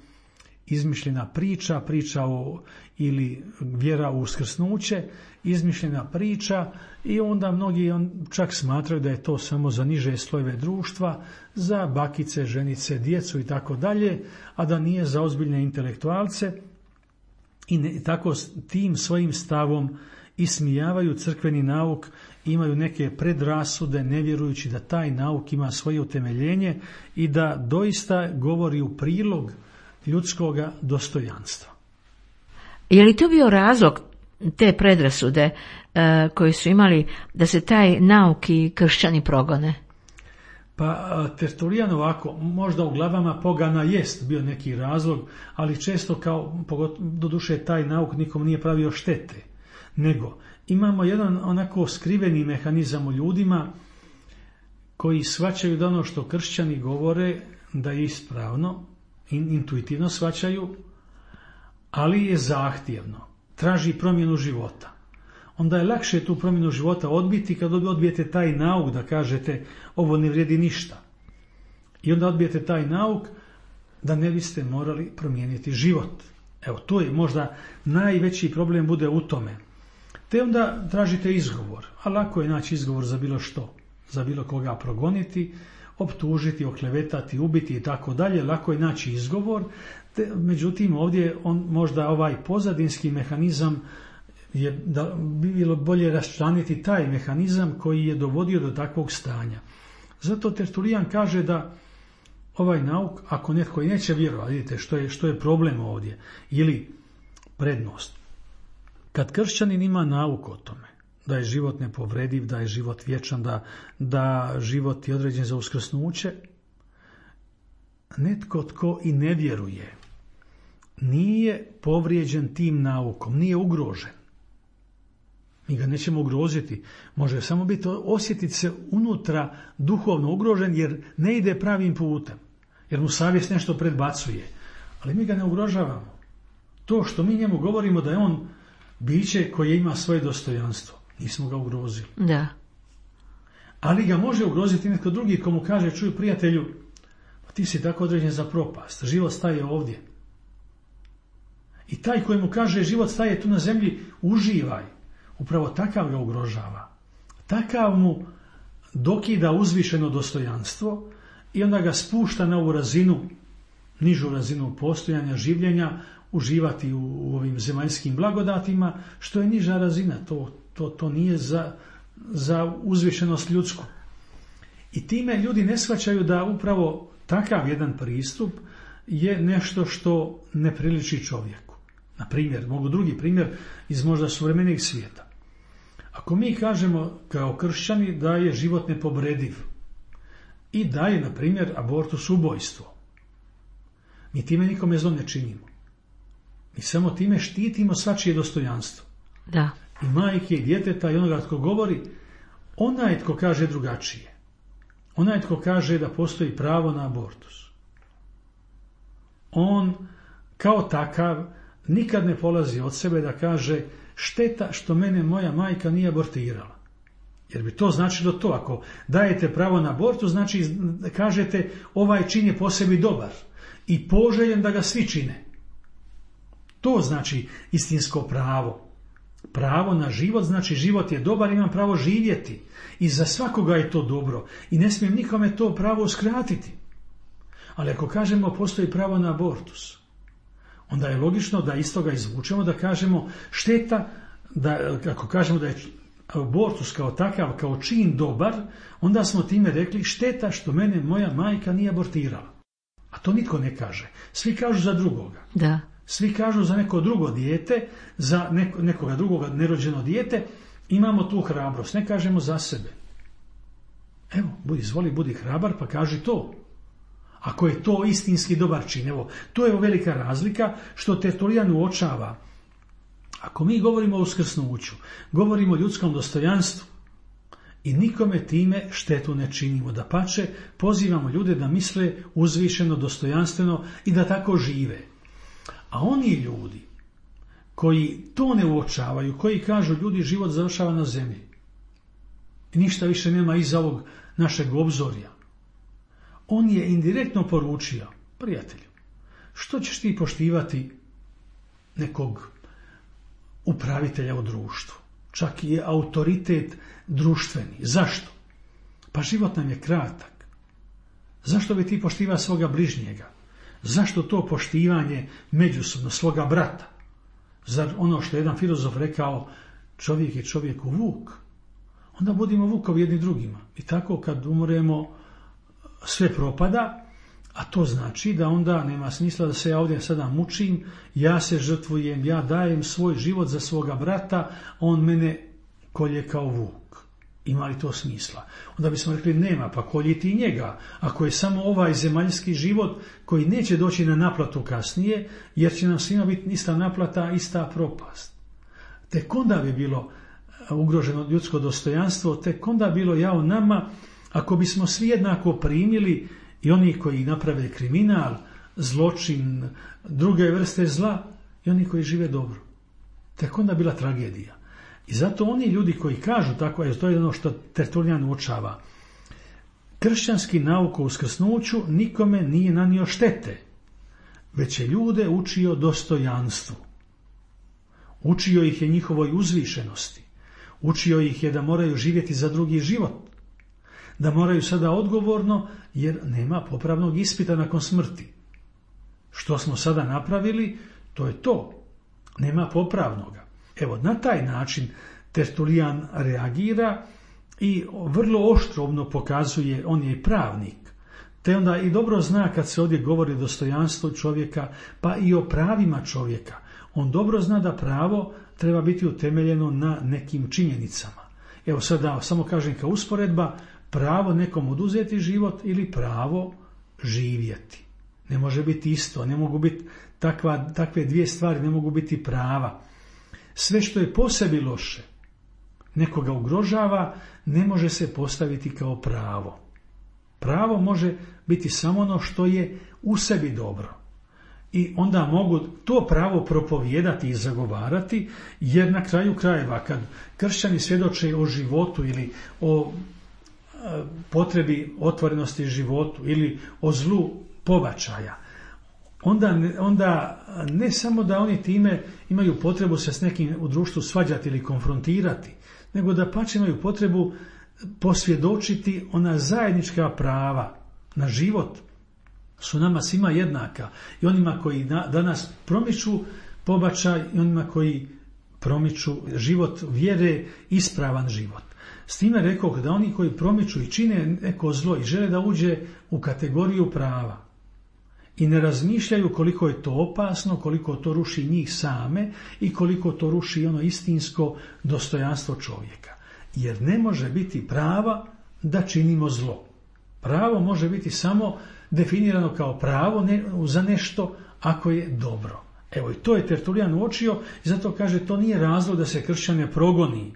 [SPEAKER 2] izmišljena priča, priča o, ili vjera u uskrsnuće, izmišljena priča, i onda mnogi on, čak smatraju da je to samo za niže slojeve društva, za bakice, ženice, djecu i tako dalje, a da nije za ozbiljne intelektualce, i ne, tako tim svojim stavom ismijavaju crkveni nauk, imaju neke predrasude, ne vjerujući da taj nauk ima svoje utemeljenje i da doista govori u prilog ljudskoga dostojanstva.
[SPEAKER 1] Je li to bio razlog te predrasude e, koji su imali da se taj nauk i kršćani progone?
[SPEAKER 2] Pa Tertulijan ovako, možda u glavama pogana jest bio neki razlog, ali često kao, doduše taj nauk nikom nije pravio štete, nego imamo jedan onako skriveni mehanizam u ljudima koji shvaćaju da ono što kršćani govore da je ispravno, intuitivno shvaćaju, ali je zahtjevno, traži promjenu života. Onda je lakše tu promjenu života odbiti kad odbijete taj nauk da kažete ovo ne vrijedi ništa. I onda odbijete taj nauk da ne biste morali promijeniti život. Evo, to je možda najveći problem bude u tome. Te onda tražite izgovor, a lako je naći izgovor za bilo što, za bilo koga progoniti, optužiti, oklevetati, ubiti i tako dalje, lako je naći izgovor, te, međutim ovdje on možda ovaj pozadinski mehanizam je da bi bilo bolje raščlaniti taj mehanizam koji je dovodio do takvog stanja. Zato Tertulijan kaže da ovaj nauk, ako netko i neće vjerovati, vidite što je, što je problem ovdje, ili prednost. Kad kršćanin ima nauk o tome, da je život nepovrediv, da je život vječan, da, da život je određen za uskrsnuće, netko tko i ne vjeruje nije povrijeđen tim naukom, nije ugrožen. Mi ga nećemo ugroziti, može samo biti osjetiti se unutra duhovno ugrožen jer ne ide pravim putem, jer mu savjest nešto predbacuje, ali mi ga ne ugrožavamo. To što mi njemu govorimo da je on biće koje ima svoje dostojanstvo, nismo ga ugrozili.
[SPEAKER 1] Da.
[SPEAKER 2] Ali ga može ugroziti netko drugi komu kaže, čuj prijatelju, ti si tako određen za propast, život staje ovdje. I taj koji mu kaže život staje tu na zemlji, uživaj. Upravo takav ga ugrožava. Takav mu dokida uzvišeno dostojanstvo i onda ga spušta na ovu razinu, nižu razinu postojanja, življenja, uživati u, u ovim zemaljskim blagodatima, što je niža razina. To, to, to nije za, za uzvišenost ljudsku. I time ljudi ne shvaćaju da upravo takav jedan pristup je nešto što ne priliči čovjeku. Na primjer, mogu drugi primjer iz možda suvremenih svijeta. Ako mi kažemo kao kršćani da je život nepovrediv i da je, na primjer, abortus ubojstvo, mi time nikome zlo ne činimo. Mi samo time štitimo svačije dostojanstvo.
[SPEAKER 1] Da.
[SPEAKER 2] I majke i djeteta i onoga tko govori, onaj tko kaže drugačije. Onaj tko kaže da postoji pravo na abortus. On kao takav nikad ne polazi od sebe da kaže šteta što mene moja majka nije abortirala. Jer bi to značilo to, ako dajete pravo na abortus, znači kažete ovaj čin je po sebi dobar i poželjen da ga svi čine. To znači istinsko pravo. Pravo na život znači život je dobar, imam pravo živjeti. I za svakoga je to dobro. I ne smijem nikome to pravo uskratiti. Ali ako kažemo postoji pravo na abortus, onda je logično da iz toga izvučemo da kažemo šteta, da ako kažemo da je abortus kao takav, kao čin dobar, onda smo time rekli šteta što mene moja majka nije abortirala. A to nitko ne kaže. Svi kažu za drugoga.
[SPEAKER 1] Da.
[SPEAKER 2] Svi kažu za neko drugo dijete, za neko, nekoga drugoga nerođeno dijete, imamo tu hrabrost. Ne kažemo za sebe. Evo, budi, izvoli, budi hrabar, pa kaži to. Ako je to istinski dobar čin. Evo, to je velika razlika što Tertulijan uočava. Ako mi govorimo o uskrsnuću, govorimo o ljudskom dostojanstvu i nikome time štetu ne činimo. Dapače, pozivamo ljude da misle uzvišeno, dostojanstveno i da tako žive. A oni ljudi koji to ne uočavaju, koji kažu ljudi život završava na zemlji i ništa više nema iza ovog našeg obzorja, on je indirektno poručio, prijatelju, što ćeš ti poštivati nekog upravitelja u društvu, čak i je autoritet društveni. Zašto? Pa život nam je kratak. Zašto bi ti poštivao svoga bližnjega? Zašto to poštivanje međusobno svoga brata? Zar ono što je jedan filozof rekao, čovjek je čovjeku vuk? Onda budimo vukovi jedni drugima. I tako kad umremo sve propada, a to znači da onda nema smisla da se ja ovdje sada mučim, ja se žrtvujem, ja dajem svoj život za svoga brata, on mene kolje kao vuk. Ima li to smisla? Onda bismo rekli nema, pa kolji ti njega. Ako je samo ovaj zemaljski život koji neće doći na naplatu kasnije, jer će nam svima biti ista naplata, ista propast. Tek onda bi bilo ugroženo ljudsko dostojanstvo, tek onda bilo jao nama, ako bismo svi jednako primili i oni koji naprave kriminal, zločin, druge vrste zla i oni koji žive dobro. Tek onda bila tragedija. I zato oni ljudi koji kažu tako, jer to je ono što Tertulijan uočava, kršćanski nauk o uskrsnuću nikome nije nanio štete, već je ljude učio dostojanstvu. Učio ih je njihovoj uzvišenosti. Učio ih je da moraju živjeti za drugi život. Da moraju sada odgovorno, jer nema popravnog ispita nakon smrti. Što smo sada napravili, to je to. Nema popravnoga. Evo, na taj način Tertulijan reagira i vrlo oštrovno pokazuje, on je i pravnik, te onda i dobro zna kad se ovdje govori o dostojanstvu čovjeka, pa i o pravima čovjeka. On dobro zna da pravo treba biti utemeljeno na nekim činjenicama. Evo sada samo kažem kao usporedba, pravo nekom oduzeti život ili pravo živjeti. Ne može biti isto, ne mogu biti takva, takve dvije stvari, ne mogu biti prava. Sve što je po sebi loše, nekoga ugrožava, ne može se postaviti kao pravo. Pravo može biti samo ono što je u sebi dobro. I onda mogu to pravo propovijedati i zagovarati, jer na kraju krajeva kad kršćani svjedoče o životu ili o potrebi otvorenosti životu ili o zlu pobačaja, onda, onda ne samo da oni time imaju potrebu se s nekim u društvu svađati ili konfrontirati, nego da pače imaju potrebu posvjedočiti ona zajednička prava na život su nama svima jednaka, i onima koji danas promiču pobačaj i onima koji promiču život vjere, ispravan život. S time rekoh da oni koji promiču i čine neko zlo i žele da uđe u kategoriju prava i ne razmišljaju koliko je to opasno, koliko to ruši njih same i koliko to ruši ono istinsko dostojanstvo čovjeka. Jer ne može biti prava da činimo zlo. Pravo može biti samo definirano kao pravo ne, za nešto ako je dobro. Evo i to je Tertulijan uočio i zato kaže to nije razlog da se kršćane progoni.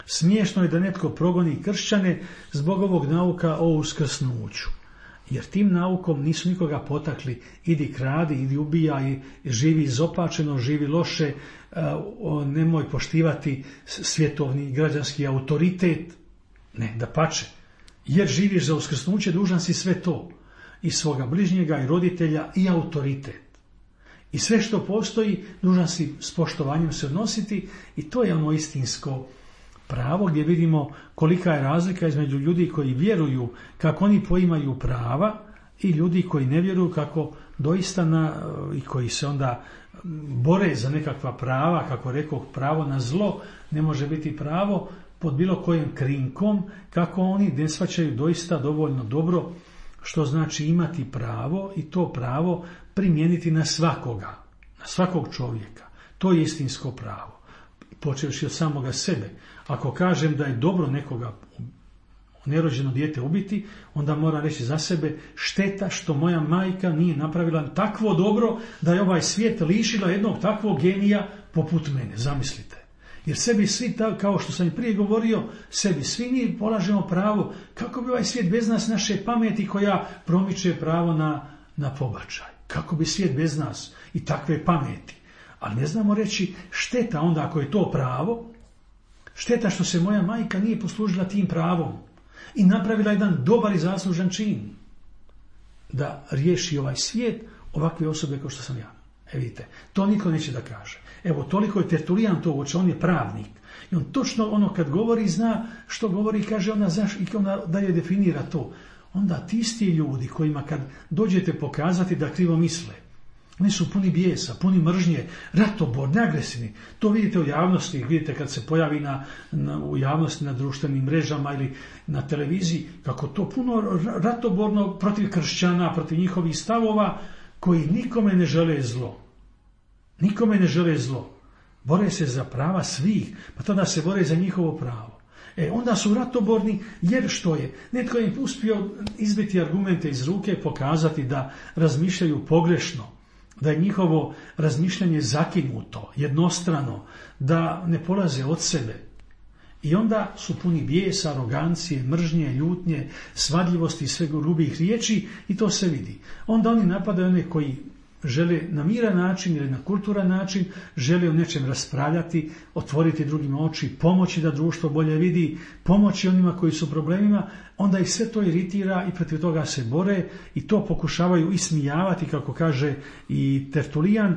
[SPEAKER 2] Smiješno je da netko progoni kršćane zbog ovog nauka o uskrsnuću. Jer tim naukom nisu nikoga potakli idi kradi, idi ubijaj, živi izopačeno, živi loše, nemoj poštivati svjetovni i građanski autoritet. Ne, dapače. Jer živiš za uskrsnuće, dužan si sve to. I svoga bližnjega, i roditelja, i autoritet. I sve što postoji, dužan si s poštovanjem se odnositi i to je ono istinsko pravo gdje vidimo kolika je razlika između ljudi koji vjeruju kako oni poimaju prava i ljudi koji ne vjeruju kako doista na, i koji se onda bore za nekakva prava, kako rekoh, pravo na zlo ne može biti pravo pod bilo kojim krinkom, kako oni ne shvaćaju doista dovoljno dobro što znači imati pravo i to pravo primijeniti na svakoga, na svakog čovjeka. To je istinsko pravo. Počevši od samoga sebe. Ako kažem da je dobro nekoga nerođeno dijete ubiti, onda mora reći za sebe šteta što moja majka nije napravila takvo dobro da je ovaj svijet lišila jednog takvog genija poput mene. Zamislite. Jer sebi svi, kao što sam i prije govorio, sebi svi mi polažemo pravo, kako bi ovaj svijet bez nas, naše pameti koja promiče pravo na, na pobačaj. Kako bi svijet bez nas i takve pameti. Ali ne znamo reći šteta onda ako je to pravo, šteta što se moja majka nije poslužila tim pravom i napravila jedan dobar i zaslužan čin da riješi ovaj svijet ovakve osobe kao što sam ja. E vidite, to niko neće da kaže. Evo, toliko je Tertulijan to uočio, on je pravnik. I on točno ono kad govori zna što govori i kaže ona, znaš, i onda dalje definira to. Onda ti isti ljudi kojima kad dođete pokazati da krivo misle, oni su puni bijesa, puni mržnje, ratoborni, agresivni. To vidite u javnosti, vidite kad se pojavi na, na, u javnosti na društvenim mrežama ili na televiziji, kako to puno ratoborno protiv kršćana, protiv njihovih stavova, koji nikome ne žele zlo. Nikome ne žele zlo. Bore se za prava svih, pa tada se bore za njihovo pravo. E, onda su ratoborni, jer što je? Netko je uspio izbiti argumente iz ruke, pokazati da razmišljaju pogrešno, da je njihovo razmišljanje zakinuto, jednostrano, da ne polaze od sebe. I onda su puni bijesa, arogancije, mržnje, ljutnje, svadljivosti i svega grubih riječi i to se vidi. Onda oni napadaju one koji žele na miran način ili na kulturan način, žele o nečem raspravljati, otvoriti drugima oči, pomoći da društvo bolje vidi, pomoći onima koji su problemima, onda ih sve to iritira i protiv toga se bore i to pokušavaju ismijavati, kako kaže i Tertulijan,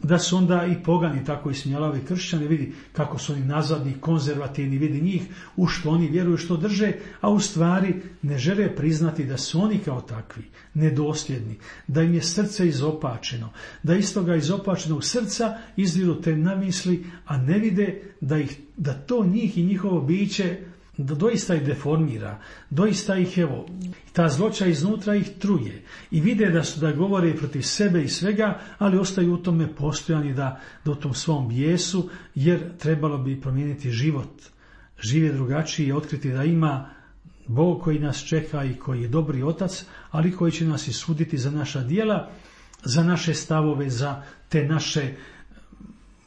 [SPEAKER 2] da su onda i pogani tako ismijavali kršćani, vidi kako su oni nazadni, konzervativni, vidi njih, u što oni vjeruju, što drže, a u stvari ne žele priznati da su oni kao takvi, nedosljedni, da im je srce izopačeno, da iz toga izopačenog srca izviru te namisli, a ne vide da, ih, da to njih i njihovo biće da doista ih deformira, doista ih, evo, ta zloća iznutra ih truje i vide da su da govore protiv sebe i svega, ali ostaju u tome postojani da, da u tom svom bijesu, jer trebalo bi promijeniti život, žive drugačije i otkriti da ima Bog koji nas čeka i koji je dobri otac, ali koji će nas i suditi za naša djela, za naše stavove, za te naše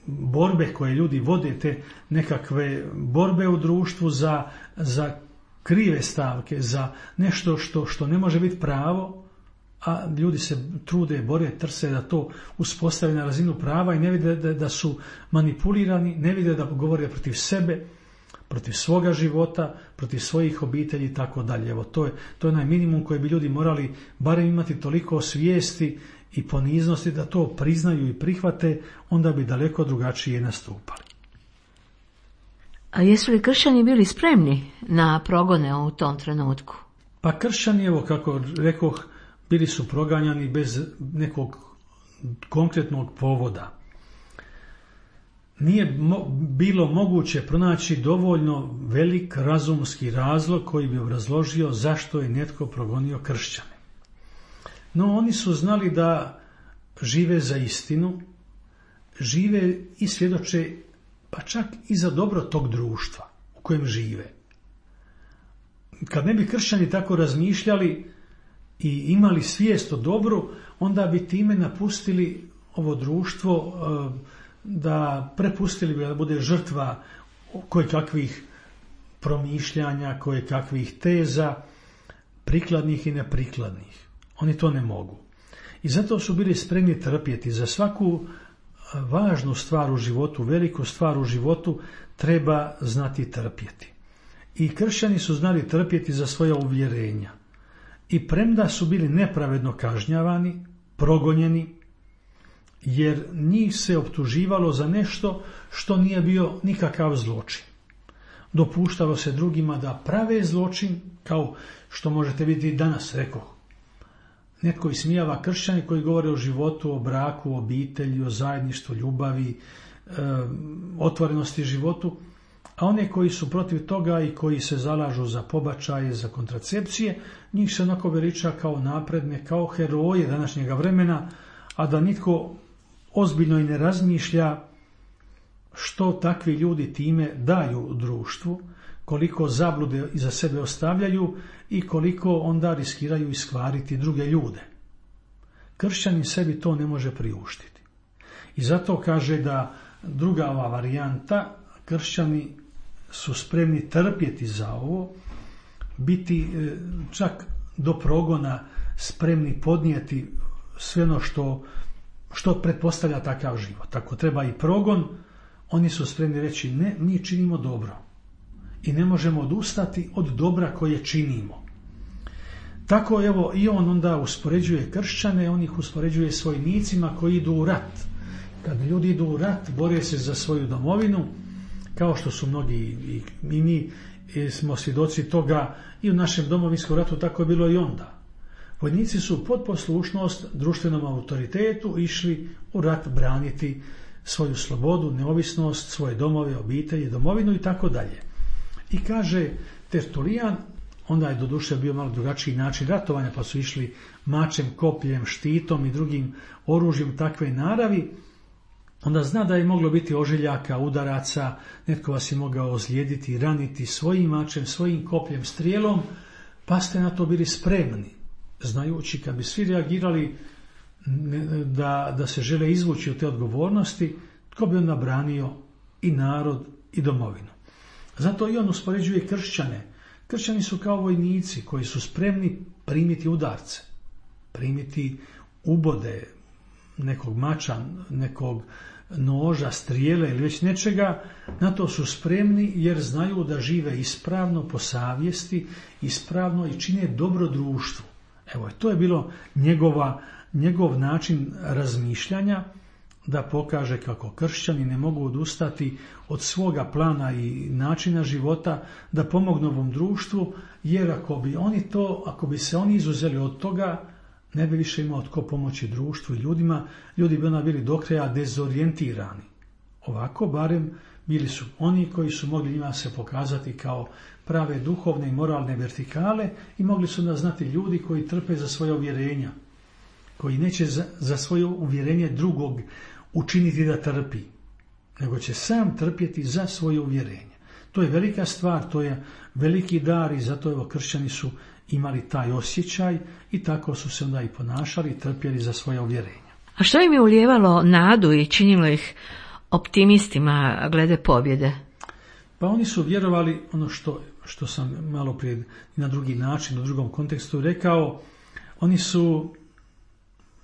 [SPEAKER 2] borbe koje ljudi vode, te nekakve borbe u društvu za, za krive stavke, za nešto što, što ne može biti pravo, a ljudi se trude, bore, trse da to uspostave na razinu prava i ne vide da, da su manipulirani, ne vide da govore protiv sebe, protiv svoga života, protiv svojih obitelji i tako dalje. Evo, to je, to je onaj minimum koji bi ljudi morali barem imati toliko svijesti i poniznosti da to priznaju i prihvate, onda bi daleko drugačije nastupali.
[SPEAKER 1] A jesu li kršćani bili spremni na progone u tom trenutku?
[SPEAKER 2] Pa kršćani, evo kako rekoh, bili su proganjani bez nekog konkretnog povoda. Nije mo- bilo moguće pronaći dovoljno velik razumski razlog koji bi obrazložio zašto je netko progonio kršćane. No oni su znali da žive za istinu, žive i svjedoče pa čak i za dobro tog društva u kojem žive. Kad ne bi kršćani tako razmišljali i imali svijest o dobru, onda bi time napustili ovo društvo, da prepustili bi da bude žrtva koje kakvih promišljanja, koje kakvih teza, prikladnih i neprikladnih. Oni to ne mogu. I zato su bili spremni trpjeti. Za svaku važnu stvar u životu, veliku stvar u životu, treba znati trpjeti. I kršćani su znali trpjeti za svoja uvjerenja. I premda su bili nepravedno kažnjavani, progonjeni, jer njih se optuživalo za nešto što nije bio nikakav zločin. Dopuštalo se drugima da prave zločin, kao što možete vidjeti danas, rekao. Netko ismijava kršćani koji govore o životu, o braku, o obitelji, o zajedništvu, ljubavi, e, otvorenosti životu, a one koji su protiv toga i koji se zalažu za pobačaje, za kontracepcije, njih se onako veliča kao napredne, kao heroje današnjega vremena, a da nitko ozbiljno i ne razmišlja što takvi ljudi time daju društvu, koliko zablude iza sebe ostavljaju i koliko onda riskiraju iskvariti druge ljude. Kršćanin sebi to ne može priuštiti. I zato kaže da druga ova varijanta, kršćani su spremni trpjeti za ovo, biti čak do progona spremni podnijeti sve ono što, što pretpostavlja takav život. Ako treba i progon, oni su spremni reći ne, mi činimo dobro i ne možemo odustati od dobra koje činimo. Tako evo i on onda uspoređuje kršćane, on ih uspoređuje s vojnicima koji idu u rat. Kad ljudi idu u rat, bore se za svoju domovinu, kao što su mnogi i mi smo svjedoci toga i u našem domovinskom ratu, tako je bilo i onda. Vojnici su pod poslušnost društvenom autoritetu išli u rat braniti svoju slobodu, neovisnost, svoje domove, obitelji, domovinu i tako dalje. I kaže Tertulijan, onda je doduše bio malo drugačiji način ratovanja, pa su išli mačem, kopljem, štitom i drugim oružjem takve naravi, onda zna da je moglo biti ožiljaka, udaraca, netko vas je mogao ozlijediti, raniti svojim mačem, svojim kopljem, strijelom, pa ste na to bili spremni, znajući kad bi svi reagirali da, da se žele izvući od te odgovornosti, tko bi onda branio i narod i domovinu. Zato i on uspoređuje kršćane. Kršćani su kao vojnici koji su spremni primiti udarce, primiti ubode nekog mača, nekog noža, strijele ili već nečega. Na to su spremni jer znaju da žive ispravno po savjesti, ispravno i čine dobro društvu. Evo, to je bilo njegova, njegov način razmišljanja, da pokaže kako kršćani ne mogu odustati od svoga plana i načina života, da pomognu ovom društvu, jer ako bi oni to, ako bi se oni izuzeli od toga, ne bi više imao tko pomoći društvu i ljudima, ljudi bi onda bili do kraja dezorijentirani. Ovako barem bili su oni koji su mogli njima se pokazati kao prave duhovne i moralne vertikale i mogli su onda znati ljudi koji trpe za svoje uvjerenja, koji neće za, za svoje uvjerenje drugog učiniti da trpi, nego će sam trpjeti za svoje uvjerenje. To je velika stvar, to je veliki dar i zato evo kršćani su imali taj osjećaj i tako su se onda i ponašali i trpjeli za svoje uvjerenja.
[SPEAKER 1] A što im je ulijevalo nadu i činilo ih optimistima glede pobjede?
[SPEAKER 2] Pa oni su vjerovali, ono što, što sam malo prije na drugi način, u drugom kontekstu rekao, oni su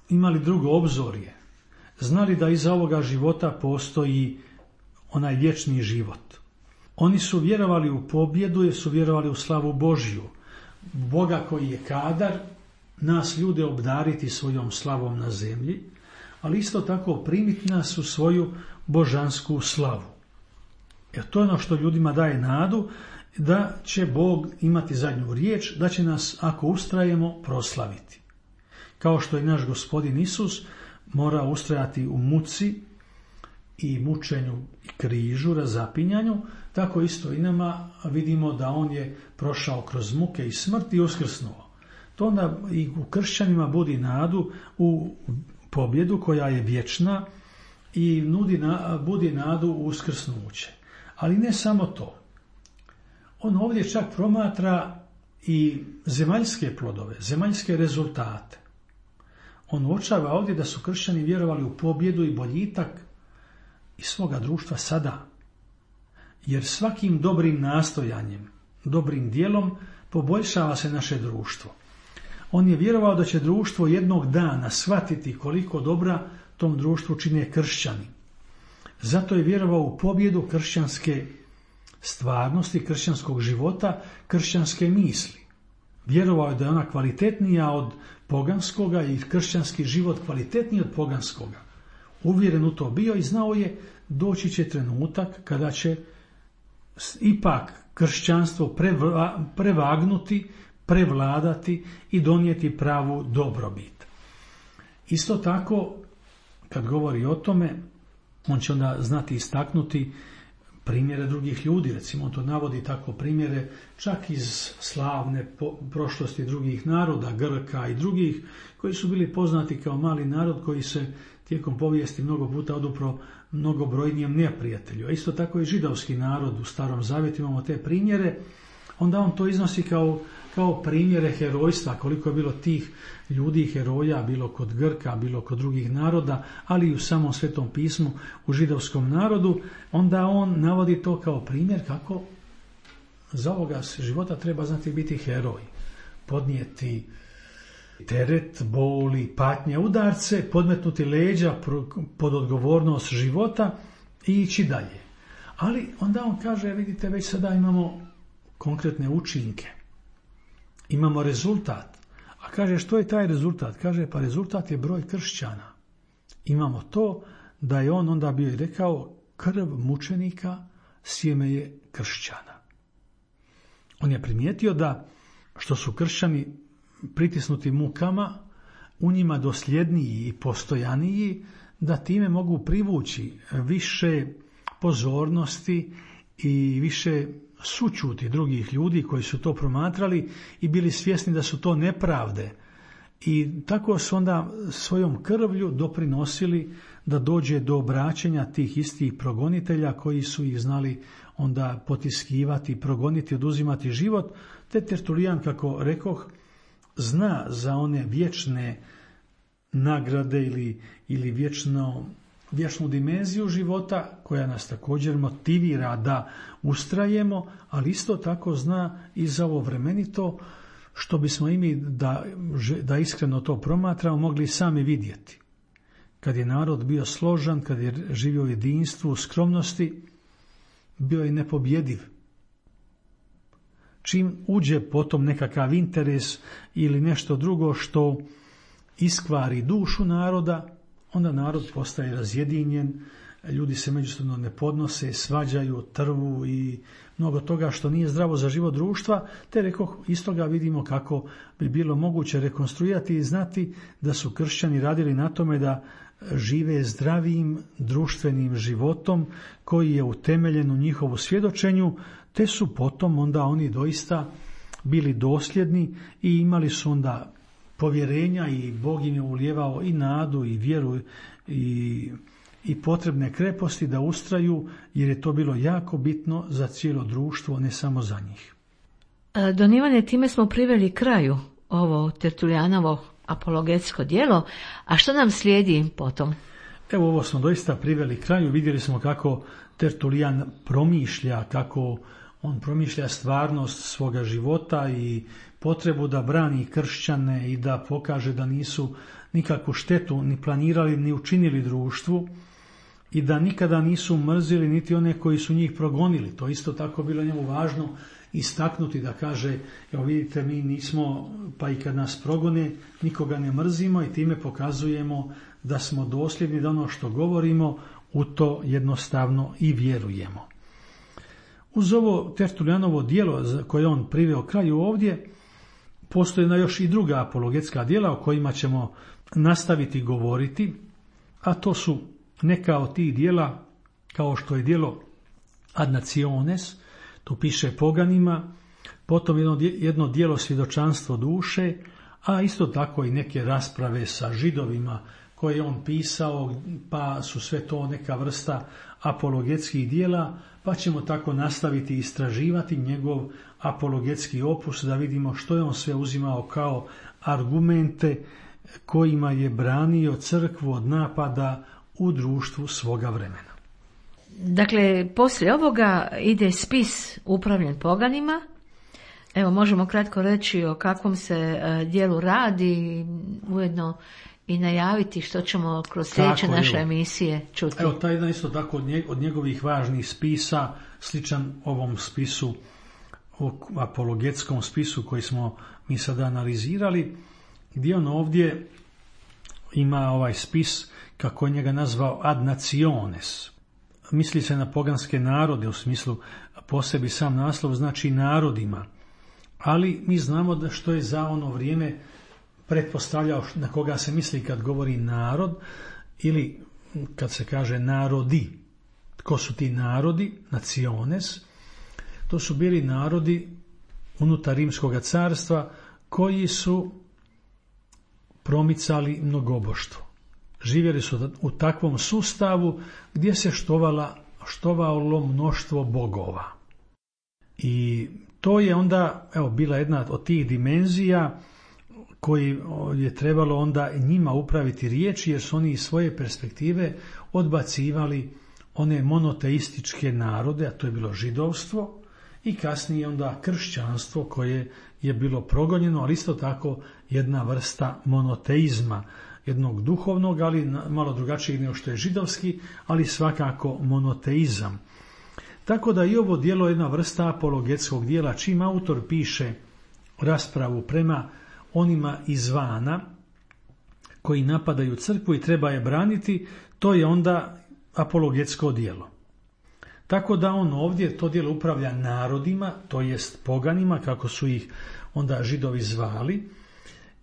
[SPEAKER 2] imali drugo obzorje. Znali da iza ovoga života postoji onaj vječni život. Oni su vjerovali u pobjedu jer su vjerovali u slavu Božju. Boga koji je kadar nas ljude obdariti svojom slavom na zemlji, ali isto tako primiti nas u svoju božansku slavu. Jer to je ono što ljudima daje nadu da će Bog imati zadnju riječ, da će nas, ako ustrajemo, proslaviti. Kao što je naš Gospodin Isus mora ustrajati u muci i mučenju i križu, razapinjanju, tako isto i nama vidimo da on je prošao kroz muke i smrt i uskrsnuo. To onda i u kršćanima budi nadu u pobjedu koja je vječna i nudi na, budi nadu u uskrsnuće. Ali ne samo to. On ovdje čak promatra i zemaljske plodove, zemaljske rezultate. On uočava ovdje da su kršćani vjerovali u pobjedu i boljitak iz svoga društva sada. Jer svakim dobrim nastojanjem, dobrim dijelom poboljšava se naše društvo. On je vjerovao da će društvo jednog dana shvatiti koliko dobra tom društvu čine kršćani. Zato je vjerovao u pobjedu kršćanske stvarnosti, kršćanskog života, kršćanske misli. Vjerovao je da je ona kvalitetnija od poganskoga i kršćanski život kvalitetniji od poganskoga. uvjeren u to bio i znao je doći će trenutak kada će ipak kršćanstvo prevagnuti, prevladati i donijeti pravu dobrobit. Isto tako, kad govori o tome, on će onda znati istaknuti primjere drugih ljudi. Recimo, on to navodi tako primjere čak iz slavne prošlosti drugih naroda, Grka i drugih, koji su bili poznati kao mali narod koji se tijekom povijesti mnogo puta odupro mnogobrojnijem neprijatelju. A isto tako i židovski narod u Starom Zavjetu, imamo te primjere. Onda on to iznosi kao, kao primjere herojstva, koliko je bilo tih ljudi, heroja, bilo kod Grka, bilo kod drugih naroda, ali i u samom Svetom pismu u židovskom narodu. Onda on navodi to kao primjer kako za ovoga života treba znati biti heroj, podnijeti teret, boli, patnje, udarce, podmetnuti leđa pod odgovornost života i ići dalje. Ali onda on kaže, vidite, već sada imamo konkretne učinke, imamo rezultat. A kaže, što je taj rezultat? Kaže, pa rezultat je broj kršćana. Imamo to da je on onda bio i rekao, krv mučenika sjeme je kršćana. On je primijetio da što su kršćani pritisnuti mukama, u njima dosljedniji i postojaniji, da time mogu privući više pozornosti i više sućuti drugih ljudi koji su to promatrali i bili svjesni da su to nepravde. I tako su onda svojom krvlju doprinosili da dođe do obraćanja tih istih progonitelja koji su ih znali onda potiskivati, progoniti, oduzimati život. Te Tertulijan, kako rekoh, zna za one vječne nagrade ili, ili vječno, vječnu dimenziju života koja nas također motivira da ustrajemo, ali isto tako zna i za ovo vremenito, što bismo i mi da, da iskreno to promatramo mogli sami vidjeti. Kad je narod bio složan, kad je živio u jedinstvu, u skromnosti, bio je nepobjediv. Čim uđe potom nekakav interes ili nešto drugo što iskvari dušu naroda, onda narod postaje razjedinjen, ljudi se međusobno ne podnose, svađaju, trvu i mnogo toga što nije zdravo za život društva, te rekoh, iz toga vidimo kako bi bilo moguće rekonstruirati i znati da su kršćani radili na tome da žive zdravim društvenim životom koji je utemeljen u njihovu svjedočenju, te su potom onda oni doista bili dosljedni i imali su onda povjerenja i Bog im je ulijevao i nadu i vjeru i, i potrebne kreposti da ustraju, jer je to bilo jako bitno za cijelo društvo, ne samo za njih.
[SPEAKER 1] Don Ivane, time smo priveli kraju ovo Tertulijanovo apologetsko djelo, a što nam slijedi potom?
[SPEAKER 2] Evo, ovo smo doista priveli kraju, vidjeli smo kako Tertulijan promišlja, kako on promišlja stvarnost svoga života i potrebu da brani kršćane i da pokaže da nisu nikakvu štetu ni planirali ni učinili društvu i da nikada nisu mrzili niti one koji su njih progonili. To isto tako bilo njemu važno istaknuti, da kaže, evo vidite, mi nismo, pa i kad nas progone, nikoga ne mrzimo i time pokazujemo da smo dosljedni, da ono što govorimo u to jednostavno i vjerujemo. Uz ovo Tertulijanovo djelo koje on priveo kraju ovdje, postoje na još i druga apologetska djela o kojima ćemo nastaviti govoriti, a to su neka od tih djela kao što je djelo Ad Nationes, tu piše poganima, potom jedno, jedno djelo svjedočanstvo duše, a isto tako i neke rasprave sa židovima koje je on pisao, pa su sve to neka vrsta apologetskih djela, pa ćemo tako nastaviti istraživati njegov apologetski opus, da vidimo što je on sve uzimao kao argumente kojima je branio crkvu od napada u društvu svoga vremena.
[SPEAKER 1] Dakle, poslije ovoga ide spis upravljen poganima. Evo, možemo kratko reći o kakvom se djelu radi, ujedno i najaviti što ćemo kroz sljedeće naše emisije čuti.
[SPEAKER 2] Evo, taj jedan isto tako od njegovih važnih spisa, sličan ovom spisu, apologetskom spisu koji smo mi sada analizirali, gdje on ovdje ima ovaj spis kako je njega nazvao ad nationes. Misli se na poganske narode, u smislu po sebi sam naslov znači narodima, ali mi znamo da što je za ono vrijeme pretpostavljao na koga se misli kad govori narod ili kad se kaže narodi. Ko su ti narodi? Naciones. To su bili narodi unutar Rimskog carstva koji su promicali mnogoboštvo. Živjeli su u takvom sustavu gdje se štovala, štovalo mnoštvo bogova. I to je onda evo, bila jedna od tih dimenzija koji je trebalo onda njima upraviti riječi, jer su oni iz svoje perspektive odbacivali one monoteističke narode, a to je bilo židovstvo, i kasnije onda kršćanstvo koje je bilo progonjeno, ali isto tako jedna vrsta monoteizma, jednog duhovnog, ali malo drugačijeg nego što je židovski, ali svakako monoteizam. Tako da i ovo djelo je jedna vrsta apologetskog dijela, čim autor piše raspravu prema onima izvana koji napadaju crkvu i treba je braniti, to je onda apologetsko djelo. Tako da on ovdje to djelo upravlja narodima, to jest poganima, kako su ih onda Židovi zvali,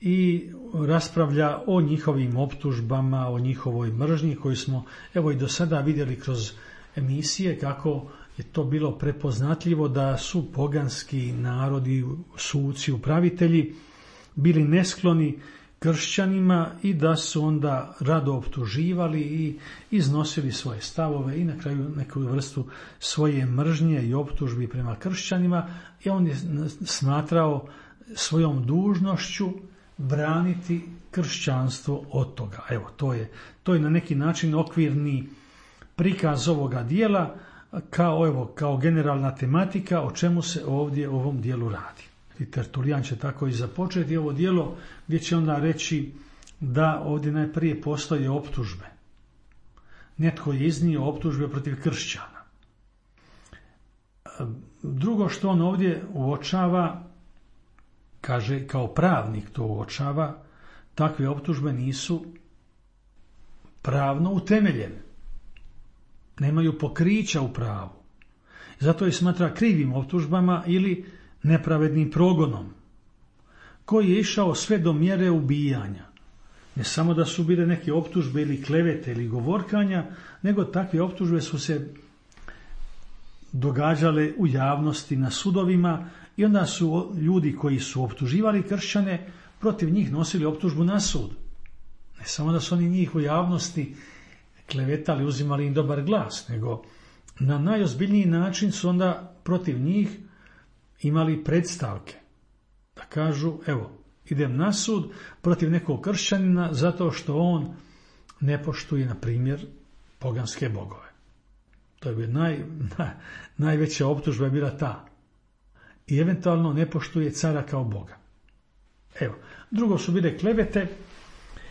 [SPEAKER 2] i raspravlja o njihovim optužbama, o njihovoj mržnji koju smo evo i do sada vidjeli kroz emisije, kako je to bilo prepoznatljivo da su poganski narodi, suci, upravitelji bili neskloni kršćanima i da su onda rado optuživali i iznosili svoje stavove i na kraju neku vrstu svoje mržnje i optužbi prema kršćanima, i on je smatrao svojom dužnošću braniti kršćanstvo od toga. Evo, to je, to je na neki način okvirni prikaz ovoga dijela kao, evo, kao generalna tematika o čemu se ovdje u ovom dijelu radi. I Tertulijan će tako i započeti ovo dijelo gdje će onda reći da ovdje najprije postoje optužbe. Netko je iznio optužbe protiv kršćana. Drugo što on ovdje uočava, kaže kao pravnik to uočava, takve optužbe nisu pravno utemeljene. Nemaju pokrića u pravu. Zato je smatra krivim optužbama ili nepravednim progonom, koji je išao sve do mjere ubijanja. Ne samo da su bile neke optužbe ili klevete ili govorkanja, nego takve optužbe su se događale u javnosti na sudovima i onda su ljudi koji su optuživali kršćane protiv njih nosili optužbu na sud. Ne samo da su oni njih u javnosti klevetali, uzimali im dobar glas, nego na najozbiljniji način su onda protiv njih imali predstavke. Da kažu, evo, idem na sud protiv nekog kršćanina zato što on ne poštuje, na primjer, poganske bogove. To je bila naj, naj, najveća optužba je bila ta. I eventualno ne poštuje cara kao boga. Evo, drugo su bile klevete.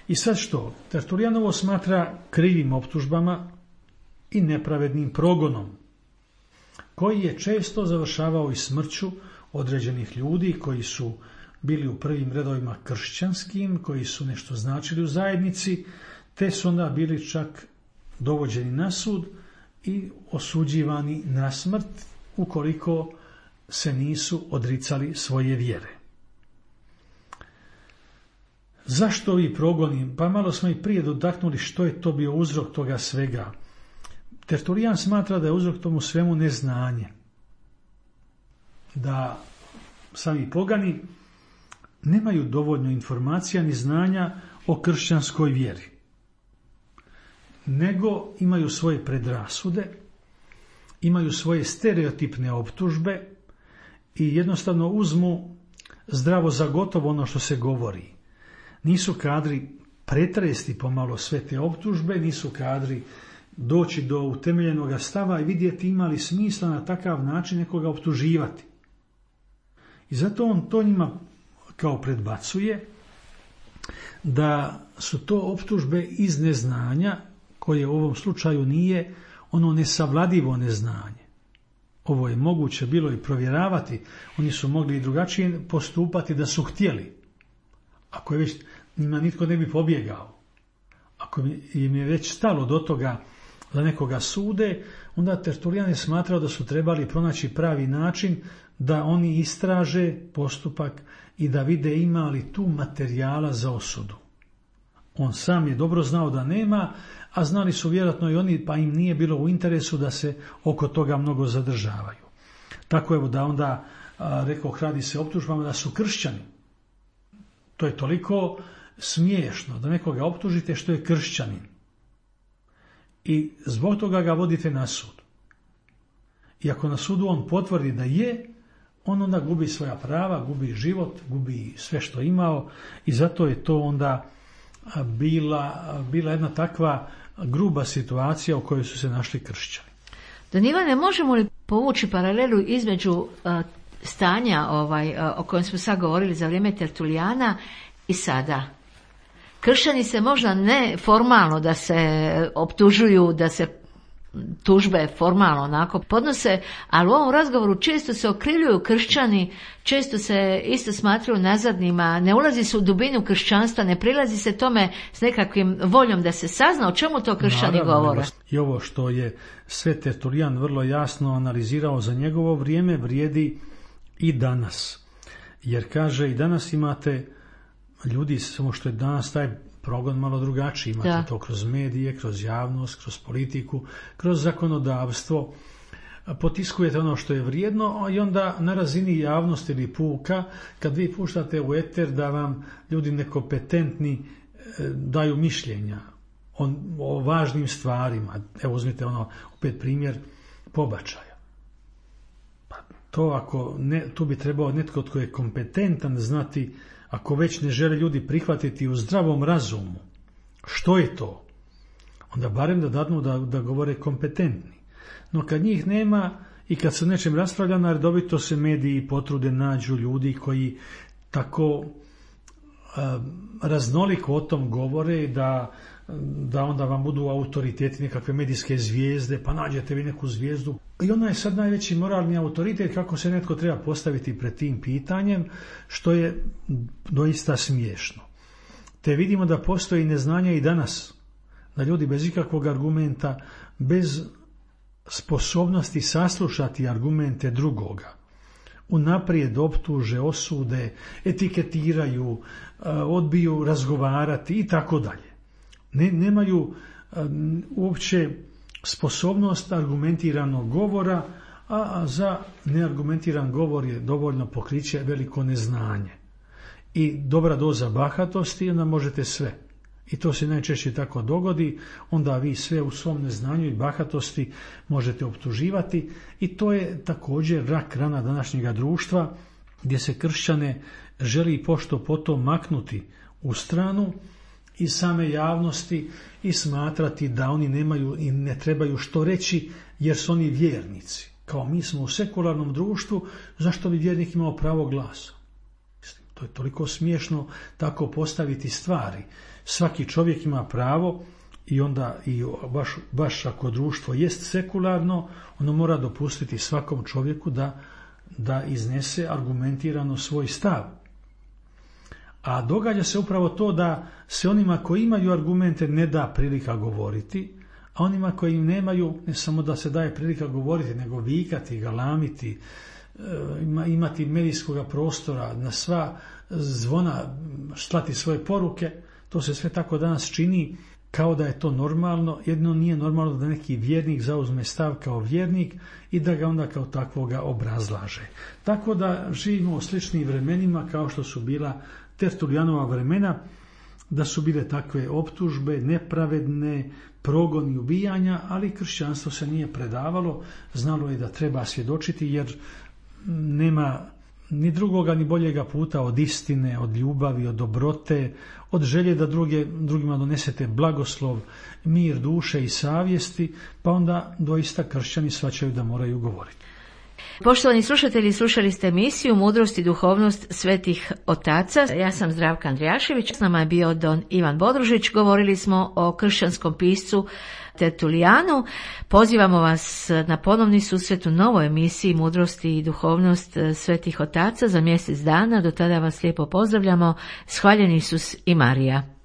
[SPEAKER 2] I sad što? Tertulijan ovo smatra krivim optužbama i nepravednim progonom, koji je često završavao i smrću određenih ljudi koji su bili u prvim redovima kršćanskim, koji su nešto značili u zajednici, te su onda bili čak dovođeni na sud i osuđivani na smrt ukoliko se nisu odricali svoje vjere. Zašto ovi progoni? Pa malo smo i prije dotaknuli što je to bio uzrok toga svega. Tertulijan smatra da je uzrok tomu svemu neznanje. Da sami pogani nemaju dovoljno informacija ni znanja o kršćanskoj vjeri, nego imaju svoje predrasude, imaju svoje stereotipne optužbe i jednostavno uzmu zdravo za gotovo ono što se govori. Nisu kadri pretresti pomalo sve te optužbe, nisu kadri doći do utemeljenog stava i vidjeti ima li smisla na takav način nekoga optuživati. I zato on to njima kao predbacuje da su to optužbe iz neznanja, koje u ovom slučaju nije ono nesavladivo neznanje. Ovo je moguće bilo i provjeravati, oni su mogli i drugačije postupati da su htjeli. Ako je već njima nitko ne bi pobjegao. A ako im je već stalo do toga da nekoga sude, onda Tertulijan je smatrao da su trebali pronaći pravi način da oni istraže postupak i da vide ima li tu materijala za osudu. On sam je dobro znao da nema, a znali su vjerojatno i oni, pa im nije bilo u interesu da se oko toga mnogo zadržavaju. Tako evo da onda, a, rekao, radi se optužbama da su kršćani. To je toliko smiješno da nekoga optužite što je kršćanin. I zbog toga ga vodite na sud. I ako na sudu on potvrdi da je, on onda gubi svoja prava, gubi život, gubi sve što imao i zato je to onda bila, bila jedna takva gruba situacija u kojoj su se našli kršćani.
[SPEAKER 1] Don Ivane, možemo li povući paralelu između uh, stanja ovaj, uh, o kojem smo sad govorili za vrijeme Tertulijana i sada? Kršćani se možda ne formalno da se optužuju, da se tužbe formalno onako podnose, ali u ovom razgovoru često se okrivljuju kršćani, često se isto smatraju nazadnima, ne ulazi se u dubinu kršćanstva, ne prilazi se tome s nekakvim voljom da se sazna o čemu to kršćani
[SPEAKER 2] Naravno,
[SPEAKER 1] govore.
[SPEAKER 2] I ovo što je sve Tertulijan vrlo jasno analizirao za njegovo vrijeme vrijedi i danas. Jer kaže i danas imate ljudi, samo što je danas taj progon malo drugačiji, imate da. To kroz medije, kroz javnost, kroz politiku, kroz zakonodavstvo, potiskujete ono što je vrijedno i onda na razini javnosti ili puka, kad vi puštate u eter da vam ljudi nekompetentni daju mišljenja o, o važnim stvarima. Evo uzmite ono, opet primjer pobačaja. Pa to ako ne, tu bi trebao netko tko je kompetentan znati. Ako već ne žele ljudi prihvatiti u zdravom razumu, što je to? Onda barem da dadnu da, da govore kompetentni. No kad njih nema i kad se nečem raspravlja, redovito se mediji potrude nađu ljudi koji tako a, raznoliko o tom govore da, da onda vam budu autoriteti, nekakve medijske zvijezde, pa nađete vi neku zvijezdu. I ona je sad najveći moralni autoritet kako se netko treba postaviti pred tim pitanjem, što je doista smiješno. Te vidimo da postoji neznanje i danas, da ljudi bez ikakvog argumenta, bez sposobnosti saslušati argumente drugoga, unaprijed optuže, osude, etiketiraju, odbiju razgovarati i tako dalje. Ne, nemaju uopće sposobnost argumentiranog govora, a za neargumentiran govor je dovoljno pokriće veliko neznanje. I dobra doza bahatosti, onda možete sve. I to se najčešće tako dogodi, onda vi sve u svom neznanju i bahatosti možete optuživati i to je također rak rana današnjega društva, gdje se kršćane želi pošto potom maknuti u stranu i same javnosti i smatrati da oni nemaju i ne trebaju što reći jer su oni vjernici. Kao mi smo u sekularnom društvu, zašto bi vjernik imao pravo glasa? To je toliko smiješno tako postaviti stvari. Svaki čovjek ima pravo i onda i baš, baš ako društvo jest sekularno, ono mora dopustiti svakom čovjeku da, da iznese argumentirano svoj stav. A događa se upravo to da se onima koji imaju argumente ne da prilika govoriti, a onima koji nemaju ne samo da se daje prilika govoriti, nego vikati, galamiti, imati medijskog prostora, na sva zvona slati svoje poruke. To se sve tako danas čini kao da je to normalno. Jedno nije normalno da neki vjernik zauzme stav kao vjernik i da ga onda kao takvoga obrazlaže. Tako da živimo u sličnim vremenima kao što su bila Tertulijanova vremena, da su bile takve optužbe, nepravedne, progoni, ubijanja, ali kršćanstvo se nije predavalo, znalo je da treba svjedočiti jer nema ni drugoga ni boljega puta od istine, od ljubavi, od dobrote, od želje da druge, drugima donesete blagoslov, mir duše i savjesti, pa onda doista kršćani shvaćaju da moraju govoriti.
[SPEAKER 1] Poštovani slušatelji, slušali ste emisiju Mudrost i duhovnost svetih otaca. Ja sam Zdravka Andrijašević, s nama je bio don Ivan Bodružić. Govorili smo o kršćanskom piscu Tertulijanu. Pozivamo vas na ponovni susret u novoj emisiji Mudrost i duhovnost svetih otaca za mjesec dana. Do tada vas lijepo pozdravljamo. Shvaljeni Isus i Marija.